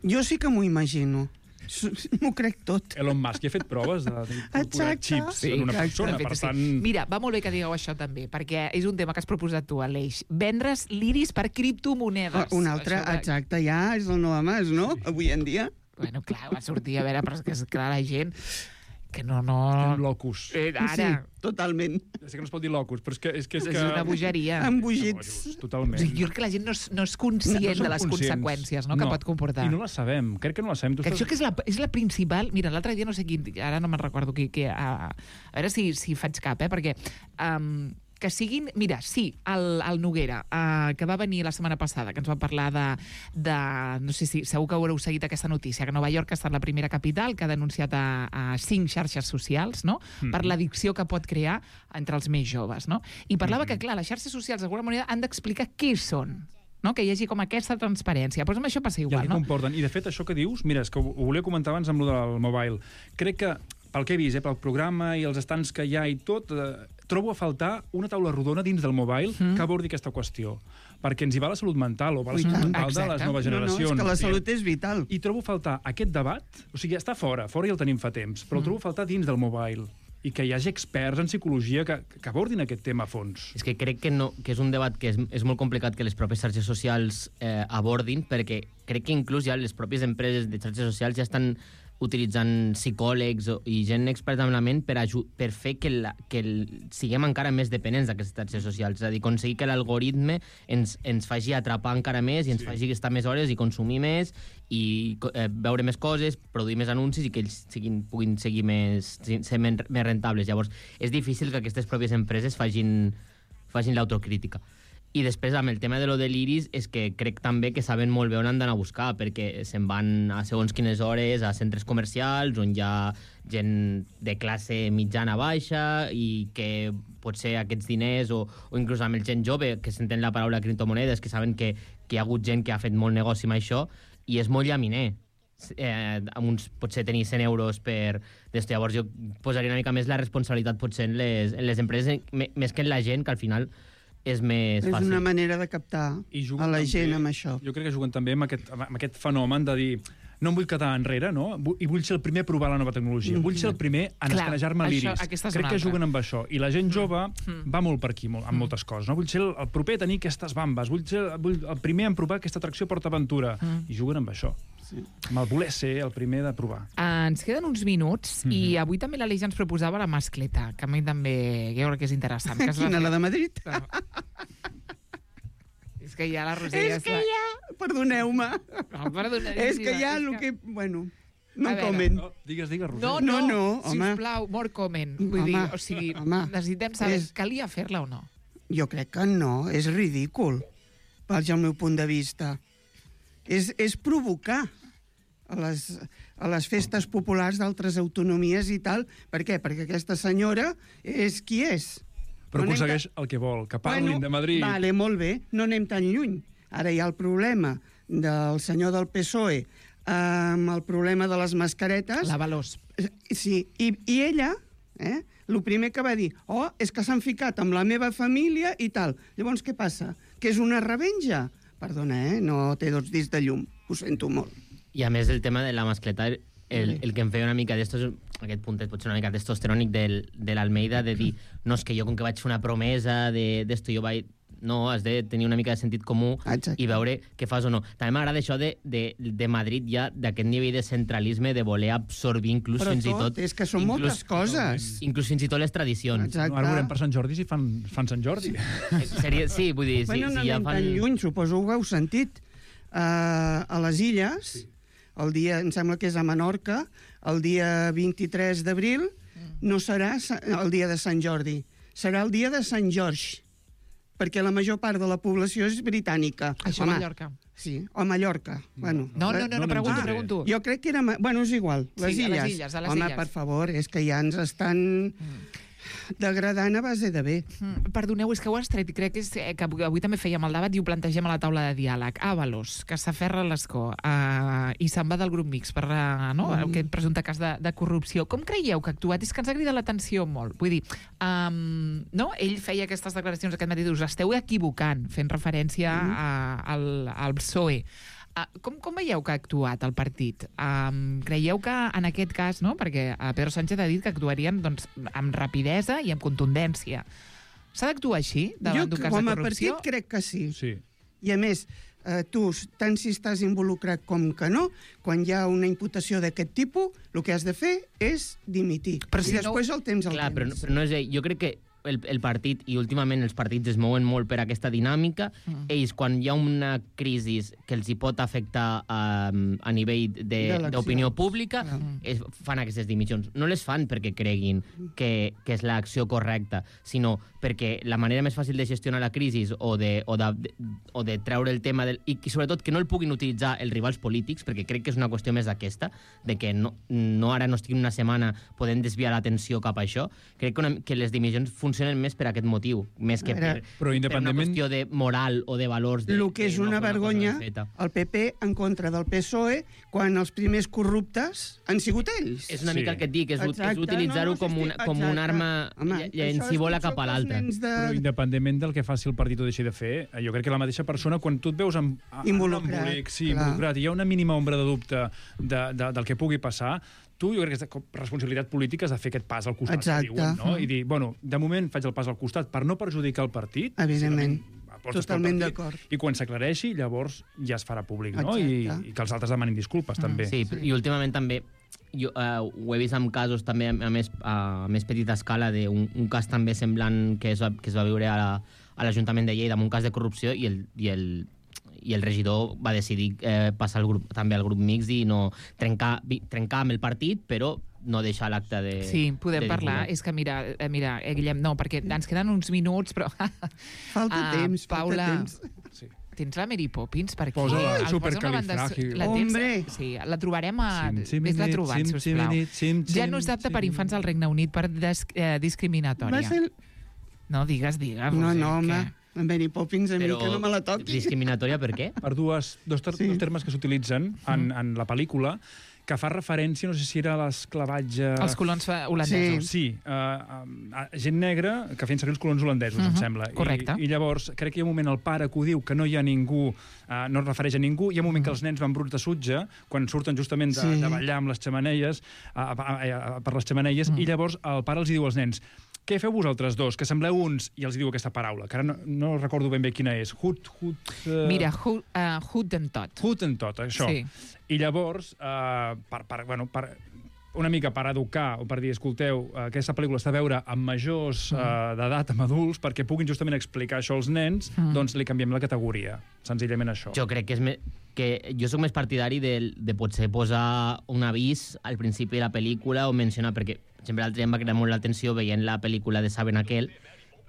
Jo sí que m'ho imagino. S- M'ho crec tot. Elon Musk ja ha fet proves de- d'incorporar Exacte. xips Sí, en una exacte. persona, De fet, per sí. tant... Mira, va molt bé que digueu això també, perquè és un tema que has proposat tu, Aleix. Vendre's l'iris per criptomonedes. Ah, un altre, Això de- exacte, ja és el nou mas, no? Avui en dia. Bueno, clar, va sortir, a veure, però és que és clar, la gent que no, no... Estem locus. Eh, ara, Sí, totalment. Ja sé que no es pot dir locus, però és que... És, que, és, és que... una bogeria. Embogits. Totalment. Jo crec que la gent no és, no és conscient No som de les conscients. conseqüències no, que pot comportar. I no la sabem. Crec que no la sabem. Tu Que estàs- això que és la, és la principal... Mira, l'altre dia no sé qui... Ara no me'n recordo qui... qui a, a veure si, si faig cap, eh? Perquè... Um, que siguin... Mira, sí, el, el Noguera, uh, que va venir la setmana passada, que ens va parlar de... de no sé si segur que haureu seguit aquesta notícia, que Nova York ha estat la primera capital que ha denunciat a, a cinc xarxes socials, no?, Mhm. per l'addicció que pot crear entre els més joves, no? I parlava que, clar, les xarxes socials, d'alguna manera, han d'explicar què són, no? Que hi hagi com aquesta transparència. Però amb això passa I el igual, que no? comporten. I, de fet, això que dius, mira, és que ho, ho volia comentar abans amb lo del mobile. Crec que, pel que he vist, eh, pel programa i els estants que hi ha i tot, eh, trobo a faltar una taula rodona dins del mobile Mm. que abordi aquesta qüestió. Perquè ens hi va la salut mental, o va la I salut tant. mental de les Exacte. noves No, no, generacions. és que la I- salut és vital. I trobo a faltar aquest debat, o sigui, està fora, fora ja el tenim fa temps, però el trobo a faltar dins del mobile. I que hi hagi experts en psicologia que, que abordin aquest tema a fons. És que crec que, no, que és un debat que és, és molt complicat que les pròpies xarxes socials eh, abordin, perquè crec que inclús ja les pròpies empreses de xarxes socials ja estan utilitzant psicòlegs o- i gent experta en la ment per, aju- per fer que, la, que el, siguem encara més dependents d'aquestes xarxes socials. És a dir, aconseguir que l'algoritme ens, ens faci atrapar encara més i ens sí. faci estar més hores i consumir més i eh, veure més coses, produir més anuncis i que ells siguin, puguin seguir més, ser men- més rentables. Llavors, és difícil que aquestes pròpies empreses facin, facin l'autocrítica. I després, amb el tema de lo de l'Iris, és que crec també que saben molt bé on han d'anar a buscar, perquè se'n van a segons quines hores a centres comercials on hi ha gent de classe mitjana baixa i que potser aquests diners o, o inclús amb el gent jove, que s'entén la paraula criptomonedes, que saben que, que hi ha hagut gent que ha fet molt negoci amb això, i és molt llaminer. Eh, amb uns, potser tenir cent euros per d'esto. Llavors jo posaria una mica més la responsabilitat potser en les, en les empreses, me- més que en la gent, que al final és més És fàcil. una manera de captar I a juguen la també- gent amb això. Jo crec que juguen també amb aquest, amb aquest fenomen de dir no em vull quedar enrere, no? Vu- I vull ser el primer a provar la nova tecnologia. Vull ser el primer a Clar, escanejar-me això- l'iris. aquesta és Crec una que altra. juguen amb això. I la gent jove Mm. va molt per aquí, molt, amb moltes coses. No? Vull ser el, el proper a tenir aquestes bambes. Vull ser vull el primer a provar aquesta atracció PortAventura. Mm. I juguen amb això. Sí. Amb el voler ser el primer de provar. Uh, ens queden uns minuts Mhm. i avui també l'Aleix ens proposava la mascleta, que a mi també jo crec que és interessant. Que es va Quina, la fer- de Madrid? És que ja la Roser És que ja... Perdoneu-me. No, perdona, És que ja és el que... Bueno, no A en veure. comen. No, digues, digues, Roser. No, No, no, no, home. sisplau, more comment. Vull Home, dir, o sigui, home, necessitem saber, és- calia fer-la o no? Jo crec que no, és ridícul, vaig al meu punt de vista. És, és provocar a les, a les festes populars d'altres autonomies i tal. Per què? Perquè aquesta senyora és qui és. Però No anem aconsegueix el que vol, que parlin Bueno, de Madrid. Vale, molt bé, no anem tan lluny. Ara hi ha el problema del senyor del P S O E amb el problema de les mascaretes. La Valós. Sí, i, i ella, eh, el primer que va dir, oh, és que s'han ficat amb la meva família i tal. Llavors, què passa? Que és una revenja? Perdona, eh, no té dos dits de llum, ho sento molt. I a més el tema de la mascleta, el, el que em feia una mica d'estos, aquest puntet pot ser una mica testosterònic del, de l'Almeida, de dir, no, és que jo com que vaig fer una promesa de- d'esto, jo vaig... No, has de tenir una mica de sentit comú Exacte. i veure què fas o no. També m'agrada això de, de, de Madrid ja, d'aquest nivell de centralisme, de voler absorbir inclús Però fins i tot, tot... és que són moltes coses. Inclús fins i tot les tradicions. Exacte. Ara veurem per Sant Jordi si fan, fan Sant Jordi. Seria, sí, vull dir, Bueno, si, no si ja anem fan... tan lluny, suposo que ho heu sentit. Uh, a les Illes, sí. el dia, em sembla que és a Menorca, el dia vint-i-tres d'abril, no serà sa- el dia de Sant Jordi, serà el dia de Sant George, perquè la major part de la població és britànica. Això a Mallorca. Sí, o a Mallorca. Bueno, No, no, no, no, no pregunto, ens pregunto. jo crec que era... ma- Bueno, és igual, les Sí, a illes. les illes, a les Home, illes. per favor, és que ja ens estan degradant a base de bé. Mm, Perdoneu, és que ho has tret i crec que, és, eh, que avui avui també fèiem el debat i ho plantegem a la taula de diàleg. Ábalos, que s'aferra a l'escó uh, i se'n va del grup mix per uh, no, mm. aquest presumpte cas de, de corrupció. Com creieu que ha actuat? És que ens ha cridat l'atenció molt. Vull dir, um, no? ell feia aquestes declaracions aquest matí, us esteu equivocant, fent referència mm. a, al, al P S O E. Uh, com, com veieu que ha actuat el partit? Um, creieu que en aquest cas, no? perquè uh, Pedro Sánchez ha dit que actuarien doncs, amb rapidesa i amb contundència. S'ha d'actuar així davant Jo, d'un cas de com a corrupció? partit, crec que sí. Sí. I a més, eh, tu, tant si estàs involucrat com que no, quan hi ha una imputació d'aquest tipus, el que has de fer és dimitir. Però si I no- després el temps el Clar, però, temps. però no és ell. Jo crec que el, el partit, i últimament els partits es mouen molt per aquesta dinàmica, mm. ells, quan hi ha una crisi que els hi pot afectar um, a nivell de- D'eleccions. d'opinió pública, Mm. es, fan aquestes dimissions. No les fan perquè creguin que, que és l'acció correcta, sinó perquè la manera més fàcil de gestionar la crisi o de, o de, de, o de treure el tema del, i, i sobretot que no el puguin utilitzar els rivals polítics, perquè crec que és una qüestió més d'aquesta, de que no, no ara no estiguin una setmana podent desviar l'atenció cap a això. Crec que, una, que les dimissions funcionen més per aquest motiu, més que A per, veure, Però per una independentment... qüestió de moral o de valors. De, El que és de no una fer cosa vergonya, ben feta. el P P en contra del P S O E, quan els primers corruptes han sigut ells. És una Sí. mica el que et dic, és, Exacte, és utilitzar-ho no, no, com, sí, una, sí, com un exacte. arma Home, ll- això és llancívola pitjor cap a que els l'altra. nens de... Però independentment del que faci el partit o deixi de fer, eh, jo crec que la mateixa persona, quan tu et veus amb, amb Involucrat, un embolic, sí, clar. involucrat, i hi ha una mínima ombra de dubte de, de, del que pugui passar, tu, jo crec que és de responsabilitat política és de fer aquest pas al costat, Exacte. que diuen, no? I dir, bueno, de moment faig el pas al costat per no perjudicar el partit, Evidentment. si no, pots Totalment después del d'acord. partit, i quan s'aclareixi, llavors ja es farà públic, no? I, Exacte. I que els altres demanin disculpes, també. Sí, i últimament també jo uh, ho he vist amb casos també a més, a més petita escala d'un un cas també semblant que es va, que es va viure a la- a l'Ajuntament de Lleida amb un cas de corrupció i el, i el, i el regidor va decidir eh, passar el grup, també al grup mixt i no trencar, vi- trencar amb el partit, però no deixar l'acte de... Sí, podem de parlar. divulgar. És que, mira, eh, mira eh, Guillem, no, perquè ens queden uns minuts, però... Falta Ah, temps, Paula, falta temps. Sí. tens la Mary Poppins per aquí? Posa-la, El posa una supercalifràgil. banda- la tens? Hombre. Sí, la trobarem a... Sim, sim, Vés-la nit, trobant, sim, sisplau. sim, nit, sim, Ja sim, no és apte sim. per infants al Regne Unit per des, eh, discriminatòria. Va ser... No, digues, digues. No, Roser, no, home. què? En Benny Poppins, a mi Però que no me la toqui. discriminatòria per què? Per dues, dos, ter Sí. dos termes que s'utilitzen en, en la pel·lícula, que fa referència, no sé si era a l'esclavatge... Els colons fa- holandesos. Sí, uh, uh, gent negra que feien servir els colons holandesos, Mhm, em sembla. correcte. I, I llavors, crec que hi ha un moment el pare que ho diu, que no hi ha ningú, uh, no es refereix a ningú, hi ha un moment que els nens van bruts de sutge, quan surten justament de, Sí. de ballar amb les xamaneies, uh, uh, uh, per les xamaneies, Mm. i llavors el pare els hi diu als nens: què feu vosaltres dos, que sembleu uns, i els hi diu aquesta paraula, que ara no, no recordo ben bé quina és. Hut, hut... Uh, Mira, Hu- uh, Hottentot. Hut en tot, això. Sí. I llavors, uh, per, per, bueno, per, una mica per educar o per dir, escolteu, aquesta pel·lícula està a veure amb majors Mm. uh, d'edat, amb adults, perquè puguin justament explicar això als nens, Mm. doncs li canviem la categoria. Senzillament això. Jo crec que és me... que jo sóc més partidari de, de potser posar un avís al principi de la pel·lícula o mencionar, perquè sempre l'altre dia em va cridar molt l'atenció veient la pel·lícula de Saben aquel,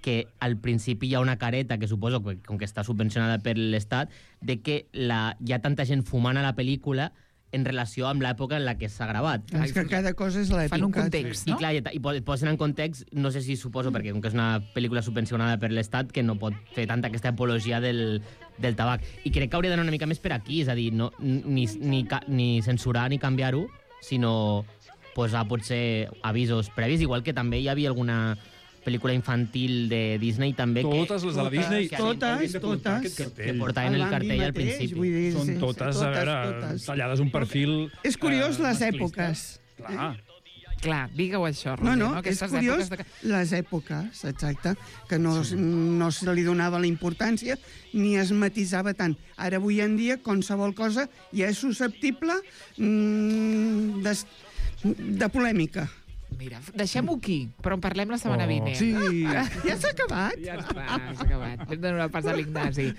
que al principi hi ha una careta que suposo que, com que està subvencionada per l'Estat, de que la, hi ha tanta gent fumant a la pel·lícula en relació amb l'època en la que s'ha gravat. És que cada cosa és l'època. Fan un context, I no? clar, i, i po- et posen en context, no sé si suposo, perquè com que és una pel·lícula subvencionada per l'Estat, que no pot fer tanta aquesta apologia del, del tabac. I crec que hauria d'anar una mica més per aquí, és a dir, no, ni, ni, ca- ni censurar ni canviar-ho, sinó posar potser avisos previs, igual que també hi havia alguna pel·lícula infantil de Disney també Totes les de la Disney Totes, haurien de portar totes. aquest que, cartell. que portaven el Bambi cartell al mateix, principi. vull dir, Són sí, sí, totes, a veure, totes. tallades un perfil... És curiós, eh, les masclista. èpoques. Clar. Clar, digue-ho això, No, Roser. no, és Aquestes curiós èpoques de... les èpoques, exacte, que no, sí. no se li donava la importància ni es matisava tant. Ara, avui en dia, qualsevol cosa ja és susceptible mm, de, de polèmica. Mira, deixem-ho aquí, però en parlem la setmana Oh, vinent. sí. Ja s'ha acabat? Ja està, s'ha acabat. Hem de donar pas a l'Ignasi.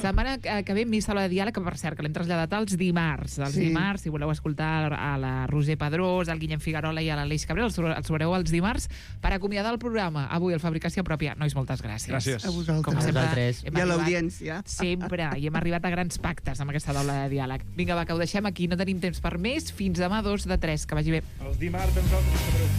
Setmana que ve, missa la de diàleg, que per cert, que l'hem traslladat als dimarts. Els Sí. dimarts, si voleu escoltar a la Roser Pedrós, al Guillem Figuerola i a l'Aleix Cabrera, els, els trobareu els dimarts per acomiadar el programa. Avui, el Fabricació Pròpia. Nois, moltes gràcies. Gràcies. A vosaltres. Com sempre, vosaltres. hem I a arribat- l'audiència. Sempre, i hem arribat a grans pactes amb aquesta taula de diàleg. Vinga, va, que ho deixem aquí, no tenim temps per més. Fins demà, dos de tres, que vagi bé. Els dimarts, amb nosaltres,